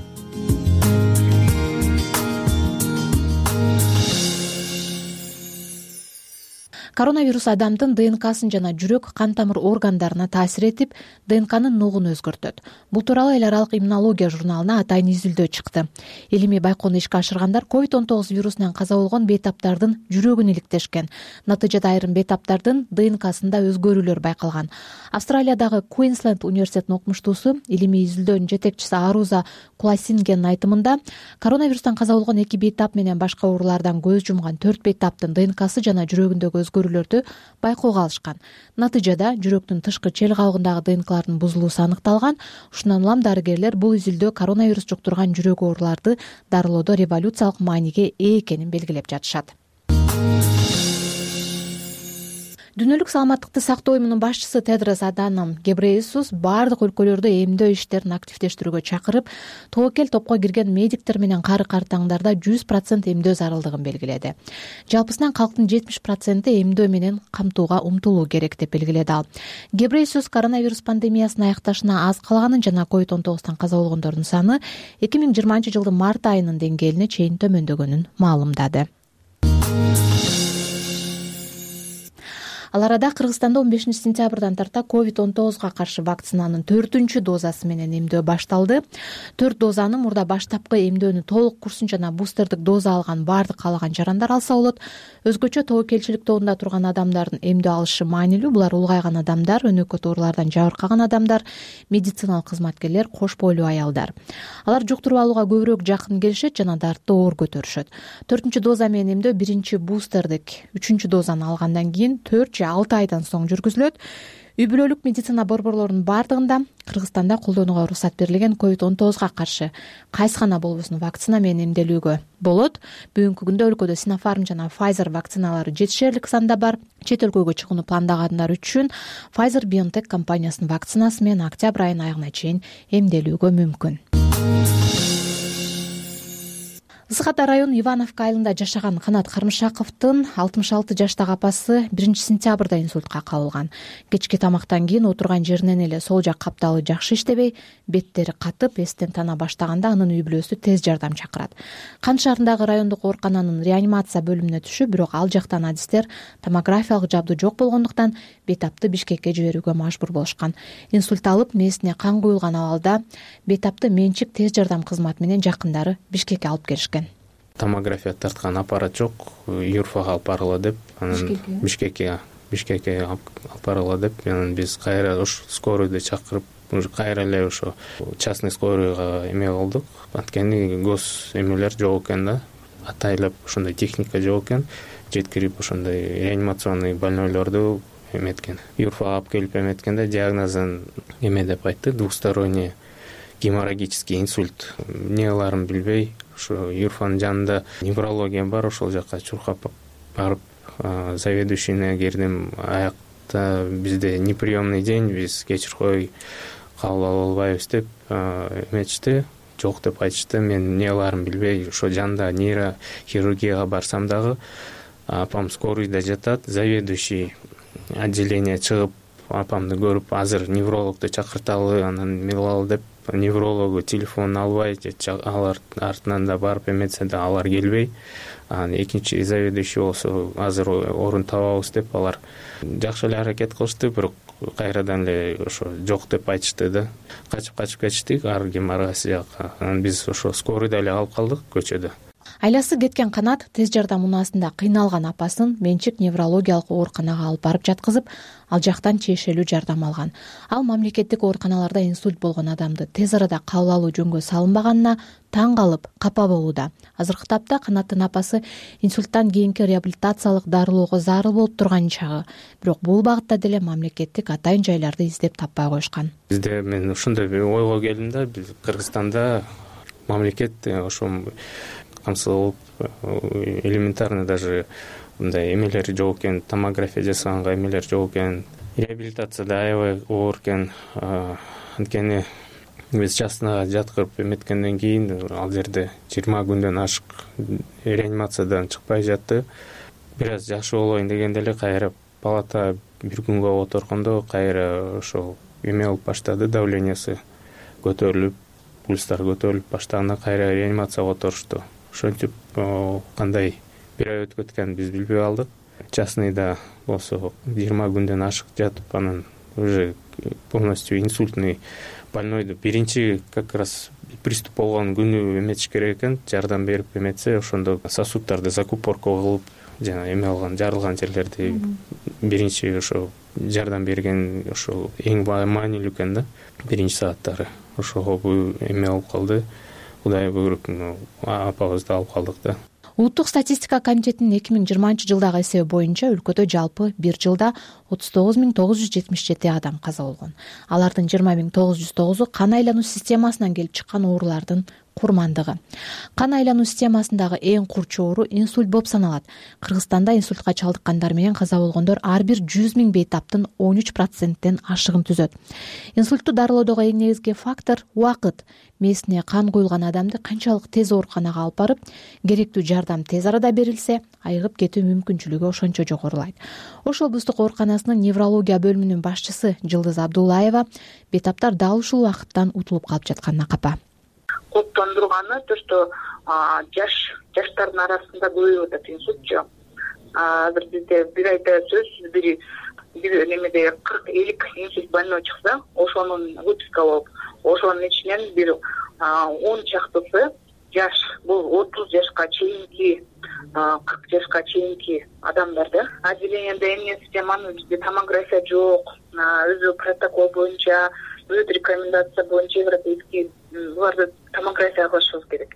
S5: Коронавирус адамдын ДНКсын жана жүрөк кан тамыр органдарына таасир этип, ДНКнын нугун өзгөртөт. Бул тууралуу эл аралык иммунология журналына атайын изилдөө чыкты. Илимий байкоону ишке ашыргандар ковид он тогуз вирусунан каза болгон бейтаптардын жүрөгүн иликтешкен. Натыйжада айрым бейтаптардын ДНКсында өзгөрүүлөр байкалган. Австралиядагы Куинсленд университетинин окумуштуусу, илимий изилдөөнүн жетекчиси Аруза Куласингенин айтымында, коронавирустан каза болгон эки бейтап менен башка оорулардан көз жумган төрт бейтаптын ДНКсы жана жүрөгүндөгү өзгөрүүлөрдү байкоого алышкан. Натыйжада жүрөктүн тышкы чел кабыгындагы ДНКлардын бузулуусу аныкталган. Ушундан улам дарыгерлер бул изилдөө коронавирус жуктурган жүрөк ооруларды дарылоодо революциялык мааниге ээ экенин белгилеп жатышат. Дүйнөлүк саламаттыкты сактоо уюмунун башчысы Тедрос Аданом Гебрейесус баардык өлкөлөрдө эмдөө иштерин активдештирүүгө чакырып, тобокел топко кирген медиктер менен кары картаңдарда жүз процент эмдөө зарылдыгын белгиледи. Жалпысынан калктын жетимиш проценти эмдөө менен камтууга умтулуу керек деп белгиледи ал. Гебрейесус коронавирус пандемиясынын аякташына аз калганын жана ковид он тогуздан каза болгондордун саны эки миң жыйырманчы жылдын март айынын деңгээлине чейин төмөндөгөнүн маалымдады. Ал арада Кыргызстанда он бешинчи сентябрдан тарта ковид он тогузга каршы вакцинанын төртүнчү дозасы менен эмдөө башталды. Төрт дозаны мурда баштапкы эмдөөнү толук курсун жана бустердик доза алган баардык каалаган жарандар алса болот. Өзгөчө тобокелчилик тобунда турган адамдардын эмдөө алышы маанилүү. Булар улгайган адамдар, өнөкөт оорулардан жабыркаган адамдар, медициналык кызматкерлер, кош бойлуу аялдар. Алар жуктуруп алууга көбүрөөк жакын келишет жана дартты оор көтөрүшөт. Төртүнчү доза менен эмдөө биринчи бустердик үчүнчү дозаны алгандан кийин төрт же алты айдан соң жүргүзүлөт. Үй бүлөлүк медицина борборлорунун баардыгында Кыргызстанда колдонууга уруксат берилген ковид он тогузга каршы кайсы гана болбосун вакцина менен эмделүүгө болот. Бүгүнкү күндө өлкөдө Sinopharm жана Pfizer вакциналары жетишерлик санда бар. Чет өлкөгө чыгууну пландагандар үчүн Pfizer-BioNTech компаниясынын вакцинасы менен октябрь айынын аягына чейин эмделүүгө мүмкүн. Ысык Ата району Ивановка айылында жашаган Канат Кармышаковдун алтымыш алты жаштагы апасы биринчи сентябрда инсультка кабылган. Кечки тамактан кийин отурган жеринен эле сол жак капталы жакшы иштебей, беттери катып, эстен тана баштаганда анын үй бүлөсү тез жардам чакырат. Кан шаарындагы райондук оорукананын реанимация бөлүмүнө түшүп, бирок ал жактан адистер томографиялык жабдуу жок болгондуктан бейтапты Бишкекке жиберүүгө мажбур болушкан. Инсульт алып, мээсине кан куюлган абалда бейтапты менчик тез жардам кызматы менен жакындары Бишкекке алып келишкен.
S12: Томография тарткан аппарат жок, Юрфага алып баргыла деп, анан Бишкекке Бишкекке алып баргыла деп, анан биз кайра уш скоройду чакырып, уже кайра эле ошо частный скоройго эме кылдык. Анткени гос эмелер жок экен да, атайлап ошондой техника жок экен. Жеткирип ошондой реанимационный больнойлорду эметкен. Юрфага алып келип эметкенде диагнозун эме деп айтты, двусторонний геморрагический инсульт. Эмне кыларын билбей, ошо Юрфанын жанында неврология бар, ошол жака чуркап барып, заведующийне кирдим. Аякта бизде неприемный день, биз кечир кой, кабыл ала албайбыз деп эметишти. Жок деп айтышты. Мен эмне кыларын билбей, ошо жанында нейрохирургияга барсам дагы апам скорыйда жатат, заведующий отделение чыгып апамды көрүп азыр неврологду чакырталы, анан эме кылалы деп неврологу телефонун албай же алар артынан да барып эметсе да алар келбей, анан экинчи заведующий болсо азыр орун табабыз деп алар жакшы эле аракет кылышты, бирок кайрадан эле ошо жок деп айтышты да. Качып качып кетиштик ар ким ар кайсы жакка. Анан биз ошо скорыйда эле калып калдык көчөдө.
S5: Айласы кеткен Канат тез жардам унаасында кыйналган апасын менчик неврологиялык ооруканага алып барып жаткызып, ал жактан тиешелүү жардам алган. Ал мамлекеттик ооруканаларда инсульт болгон адамды тез арада кабыл алуу жөнгө салынбаганына таң калып, капа болууда. Азыркы тапта Канаттын апасы инсульттан кийинки реабилитациялык дарылоого зарыл болуп турган чагы. Бирок бул багытта деле мамлекеттик атайын жайларды издеп таппай коюшкан.
S12: Бизде мен ошондой ойго келдим да, биз Кыргызстанда мамлекет ошо камсыз элементарно даже мындай эмелер жок экен, томография жасаганга эмелер жок экен, реабилитацияда аябай оор экен. Анткени биз частныйга жаткырып эметкенден кийин ал жерде жыйырма күндөн ашык реанимациядан чыкпай жатты. Бир аз жакшы болоюн дегенде эле кайра палата бир күнгө отургондо кайра ошол эме болуп баштады, давлениясы көтөрүлүп, пульстар көтөрүлүп баштаганда кайра реанимацияга отурушту. Ошентип кандай бир ай өтүп кеткенин биз билбей калдык. Частныйда болсо жыйырма күндөн ашык жатып, анан уже полностью инсультный больнойду биринчи как раз приступ болгон күнү эметиш керек экен, жардам берип эметсе, ошондо сосуддарды закупорка кылып, жана эме алган, жарылган жерлерди биринчи ошо жардам берген ошол эң маанилүү экен да, биринчи сааттары. Ошого бул эме болуп калды. Кудай буйруп, апабызды алып калдык да.
S5: Улуттук статистика комитетинин эки миң жыйырманчы жылдагы эсеби боюнча өлкөдө жалпы бир жылда отуз тогуз миң тогуз жүз жетимиш жети адам каза болгон. Алардын жыйырма миң тогуз жүз тогузу кан айлануу системасынан келип чыккан оорулардын курмандыгы. Кан айлануу системасындагы эң курч оору инсульт болуп саналат. Кыргызстанда инсультка чалдыккандар менен каза болгондор ар бир жүз миң бейтаптын он үч проценттен ашыгын түзөт. Инсультту дарылоодогу эң негизги фактор убакыт. Мээсине кан куюлган адамды канчалык тез ооруканага алып барып, керектүү жардам тез арада берилсе, айыгып кетүү мүмкүнчүлүгү ошончо жогорулайт. Ош облустук ооруканасынын неврология бөлүмүнүн башчысы Жылдыз Абдуллаева бейтаптар дал ушул убакыттан утулуп калып жатканына капа.
S13: Коптондурганы то, что жаш жаштардын арасында көбөйүп атат инсультчу. Азыр бизде бир айда сөзсүз бир бир немеде кырк элүү инсульт больной чыкса, ошонун выписка болуп, ошонун ичинен бир он чактысы жаш, бул отуз жашка чейинки, кырк жашка чейинки адамдар да. Отделениеде эмне системаны бизде томография жок, өзү протокол боюнча, өз рекомендация боюнча европейский буларды томография кылышыбыз керек.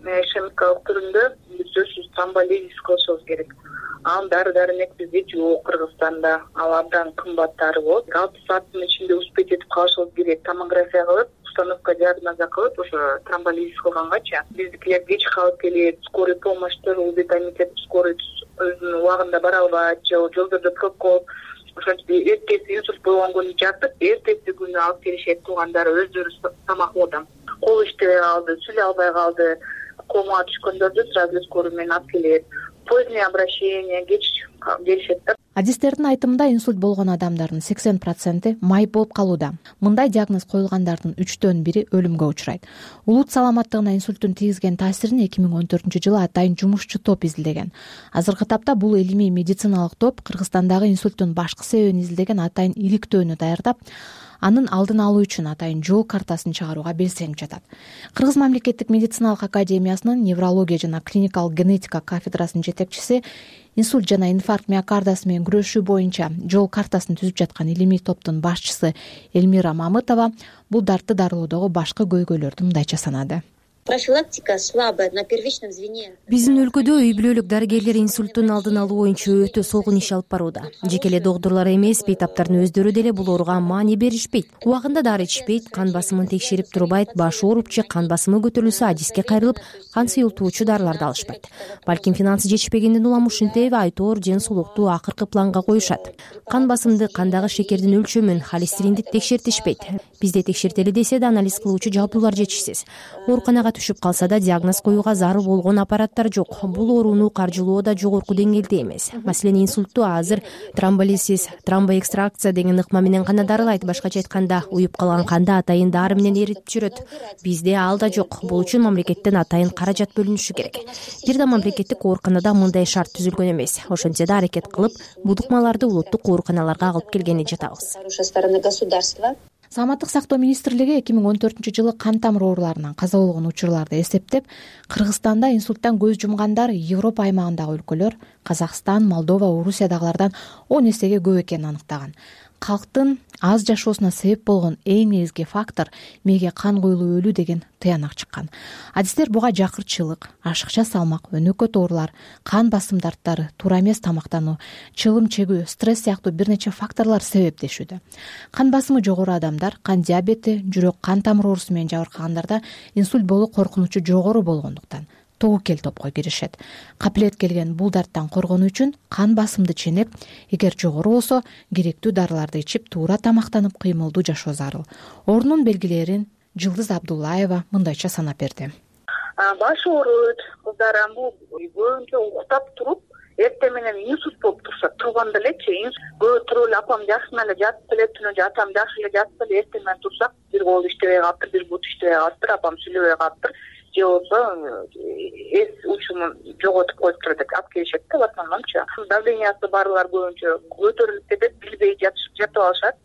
S13: Ишемикалык түрүндө сөзсүз тромболизис кылышыбыз керек. Ал дары-дармек бизде жок Кыргызстанда, ал абдан кымбаттары болот. алты сааттын ичинде успеть этип калышыбыз керек. Томография кылып, установка диагноза кылып, ошо тромболизис кылгангача биздикилер кеч калып келет, скорый помощьтер, улбет комитет скорый өзүнүн убагында бара албайт, же жолдордо пробка. Ошентип эртеси инсульт болгон күнү жатып, эртеси күнү алып келишет туугандар өздөрү тамакоодон. Кол иштебей калды, сүйлөй албай калды, комага түшкөндөрдү сразу скорый менен алып келет. Позднее обращение, кеч келишет да.
S5: Адистердин айтымында инсульт болгон адамдардын сексен проценти майып болуп калууда. Мындай диагноз коюлгандардын үчтөн бири өлүмгө учурайт. Улут саламаттыгына инсульттун тийгизген таасирин эки миң он төртүнчү жылы атайын жумушчу топ изилдеген. Азыркы тапта бул илимий медициналык топ Кыргызстандагы инсульттун башкы себебин изилдеген атайын иликтөөнү даярдап, анын алдын алуу үчүн атайын жол картасын чыгарууга белсенип жатат. Кыргыз мамлекеттик медициналык академиясынын неврология жана клиникалык генетика кафедрасынын жетекчиси, инсульт жана инфаркт миокардасы менен күрөшүү боюнча жол картасын түзүп жаткан илимий топтун башчысы Эльмира Мамытова бул дартты дарылоодогу башкы көйгөйлөрдү мындайча санады.
S14: Профилактика слабая на первичном звене.
S15: Биздин өлкөдө үй бүлөлүк дарыгерлер инсульттун алдын алуу боюнча өтө солгун иш алып барууда. Жеке эле доктурлар эмес, бейтаптардын өздөрү деле бул ооруга маани беришпейт. Убагында дары ичишпейт, кан басымын текшерип турбайт, башы ооруп же кан басымы көтөрүлсө адиске кайрылып, кан сыйылтуучу дарыларды алышпайт. Балким финансы жетишпегенден улам ушинтип айтоор ден соолукту акыркы планга коюшат. Кан басымды, кандагы шекердин өлчөмүн, холестеринди текшертишпейт. Бизде текшертели десе да анализ кылуучу жабдуулар жетишсиз. Ооруканага түшүп калса да диагноз коюуга зарыл болгон аппараттар жок. Бул ооруну каржылоо да жогорку деңгээлде эмес. Маселен, инсультту азыр тромболизис, тромбоэкстракция деген ыкма менен гана дарылайт. Башкача айтканда, уюп калган канды атайын дары менен эритип жүрөт. Бизде ал да жок. Бул үчүн мамлекеттен атайын каражат бөлүнүшү керек. Бир да мамлекеттик ооруканада мындай шарт түзүлгөн эмес. Ошентсе да аракет кылып, бул ыкмаларды улуттук ооруканаларга алып келгени жатабыз. Саламаттык сактоо министрлиги эки миң он төртүнчү жылы кан тамыр ооруларынан каза болгон учурларды эсептеп, Кыргызстанда инсульттан көз жумгандар Европа аймагындагы өлкөлөр, Казакстан, Молдова, Орусиядагылардан он эсеге көп экенин аныктаган. Калктын аз жашоосуна себеп болгон эң негизги фактор мээге кан куюлуп өлүү деген тыянак чыккан. Адистер буга жакырчылык, ашыкча салмак, өнөкөт оорулар, кан басым дарттары, туура эмес тамактануу, чылым чегүү, стресс сыяктуу бир нече факторлор себептешүүдө. Кан басымы жогору адамдар, кан диабети, жүрөк кан тамыр оорусу менен жабыркагандарда инсульт болуу коркунучу жогору болгондуктан тобокел топко киришет. Капилет келген бул дарттан коргонуу үчүн кан басымды ченеп, эгер жогору болсо, керектүү дарыларды ичип, туура тамактанып, кыймылдуу жашоо зарыл. Оорунун белгилерин Жылдыз Абдуллаева мындайча санап берди.
S13: Баш ооруйт, кыздар бул көбүнчө уктап туруп, эртең менен инсульт болуп турса, турганда элечи, көбү туруп эле апам жакшы эле жатып эле, түнү атам жакшы эле жатып эле, эртең менен турсак, бир кол иштебей калыптыр, бир бут иштебей калыптыр, апам сүйлөбөй калыптыр. Же болсо эс учумун жоготуп коюптур деп алып келишет да, в основномчу. Давлениясы барлар көбүнчө көтөрүлүп кетет, билбей жатып алышат,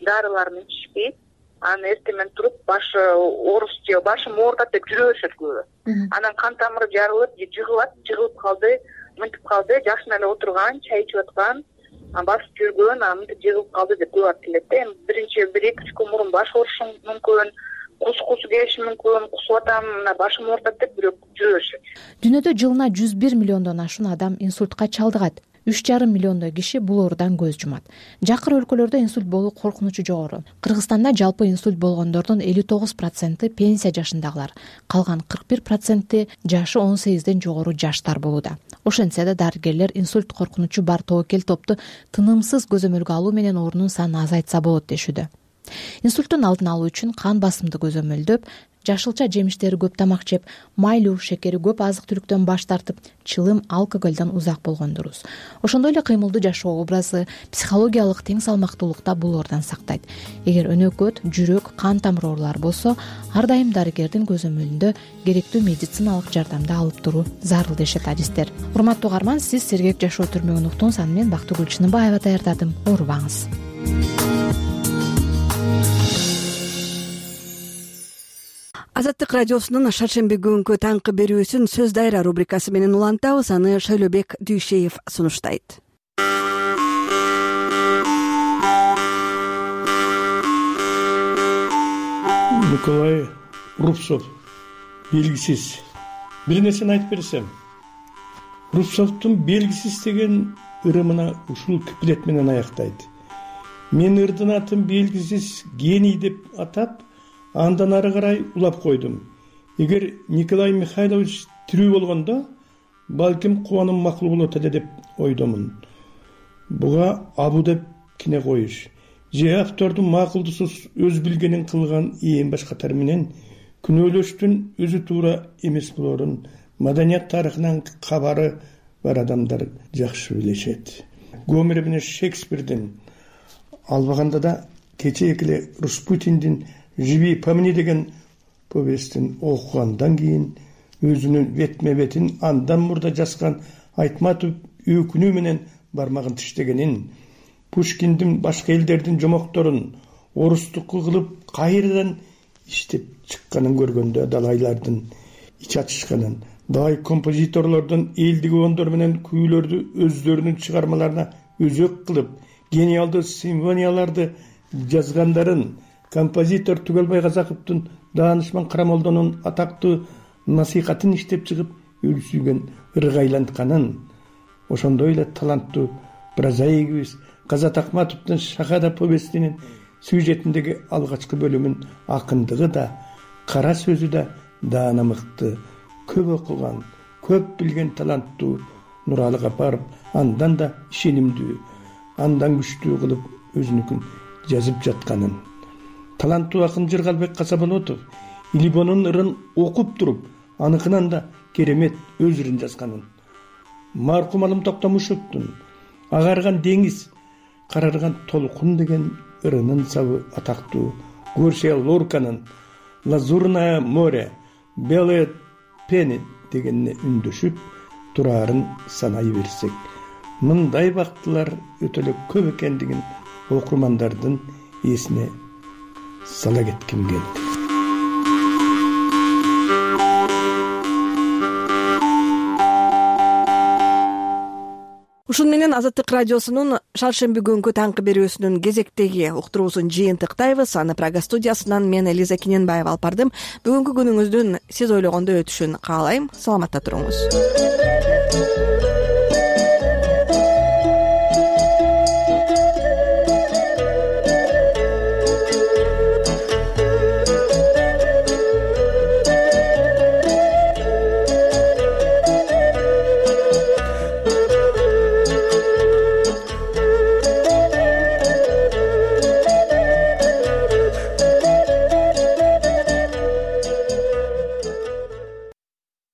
S13: дарыларын ичишпейт. Анан эртең менен туруп башы оорус же башым оорутат деп жүрө беришет көбү. Анан кан тамыры жарылып, же жыгылат, жыгылып калды, мынтип калды, жакшы эле отурган, чай ичип аткан, басып жүргөн, анан мынтип жыгылып калды деп көп айтып келет да. Эми биринчи бир эки үч күн мурун баш оорушу мүмкүн, кус кусу келиши мүмкүн, кусуп атам, мына башым оорутат деп бирөө жүрө беришет.
S5: Дүйнөдө жылына жүз бир миллиондон ашуун адам инсультка чалдыгат. үч жарым миллиондой киши бул оорудан көз жумат. Жакыр өлкөлөрдө инсульт болуу коркунучу жогору. Кыргызстанда жалпы инсульт болгондордун элүү тогуз проценти пенсия жашындагылар, калган кырк бир проценти жашы он сегизден жогору жаштар болууда. Ошентсе да дарыгерлер инсульт коркунучу бар тобокел топту тынымсыз көзөмөлгө алуу менен оорунун санын азайтса болот дешүүдө. Инсульттун алдын алуу үчүн кан басымды көзөмөлдөп, жашылча жемиштери көп тамак жеп, майлуу, шекери көп азык-түлүктөн баш тартып, чылым, алкоголдон узак болгон дурус. Ошондой эле кыймылдуу жашоо образы психологиялык тең салмактуулукта бул оордан сактайт. Эгер өнөкөт, жүрөк, кан тамыр оорулары болсо, ар дайым дарыгердин көзөмөлүндө керектүү медициналык жардамды алып туруу зарыл дешет адистер. Урматтуу угарман, сиз Сергек жашоо түрмөгүн уктуңуз, аны мен Бактыгүл Чыныбаева даярдадым. Оорубаңыз. Азаттык радиосунун шаршемби күнгү таңкы берүүсүн сөз дайра рубрикасы менен улантабыз. Аны Шайлообек Дүйшеев сунуштайт.
S2: Николай Рубцов, белгисиз. Бир нерсени айтып берсем, Рубцовдун белгисиз деген ырымына ушул куплет менен аяктайт. Мен ырдын атын белгисиз гений деп атап, андан ары карай улап койдум. Эгер Николай Михайлович тирүү болгондо, балким кубаным макул болот эле деп ойдомун. Буга абу деп кине коюш, же автордун макулдусуз өз билгенин кылган ээн баш катары менен күнөөлөштүн өзү туура эмес болорун маданият тарыхынан кабары бар адамдар жакшы билишет. Гомер менен Шекспирдин, албаганда да кечээки эле Распутиндин «Живи по мне» деген повестин окугандан кийин өзүнүн бетме бетин андан мурда жазган Айтматов өкүнүү менен бармагын тиштегенин, Пушкиндин башка элдердин жомокторун орустукка кылып кайрадан иштеп чыкканын көргөндө далайлардын ич ачышканын, дагы композиторлордун элдик ондор менен күүлөрдү өздөрүнүн чыгармаларына өзөк кылып гениалдуу симфонияларды жазгандарын, композитор Түгөлбай Казаковдун Даанышман Карамолдонун атактуу насыйхатын иштеп чыгып өлсүйгөн ыргайлантканын, ошондой эле таланттуу прозаигибиз Казат Акматовдун Шахада повестинин сюжетиндеги алгачкы бөлүмүн акындыгы да, кара сөзү да даана мыкты, көп окуган, көп билген таланттуу Нуралы Капаров андан да ишенимдүү, андан күчтүү кылып өзүнүкүн жазып жатканын, таланттуу акын Жыргалбек Касаболотов илибонун ырын окуп туруп аныкынан да керемет өз ырын жазганын, маркум Алым Токтомушевдун агарган деңиз, карарган толкун деген ырынын сабы атактуу Гарсия Лорканын Лазурное море, Белые пени дегенине үндөшүп тураарын санай берсек, мындай бактылар өтө эле көп экендигин окурмандардын эсине сала кетким келди.
S1: Ушун менен Азаттык радиосунун шаршемби күнгү таңкы берүүсүнүн кезектеги уктуруусун жыйынтыктайбыз. Аны Прага студиясынан мен Элиза Кененбаева алып бардым. Бүгүнкү күнүңүздүн сиз ойлогондой өтүшүн каалайм. Саламатта туруңуз.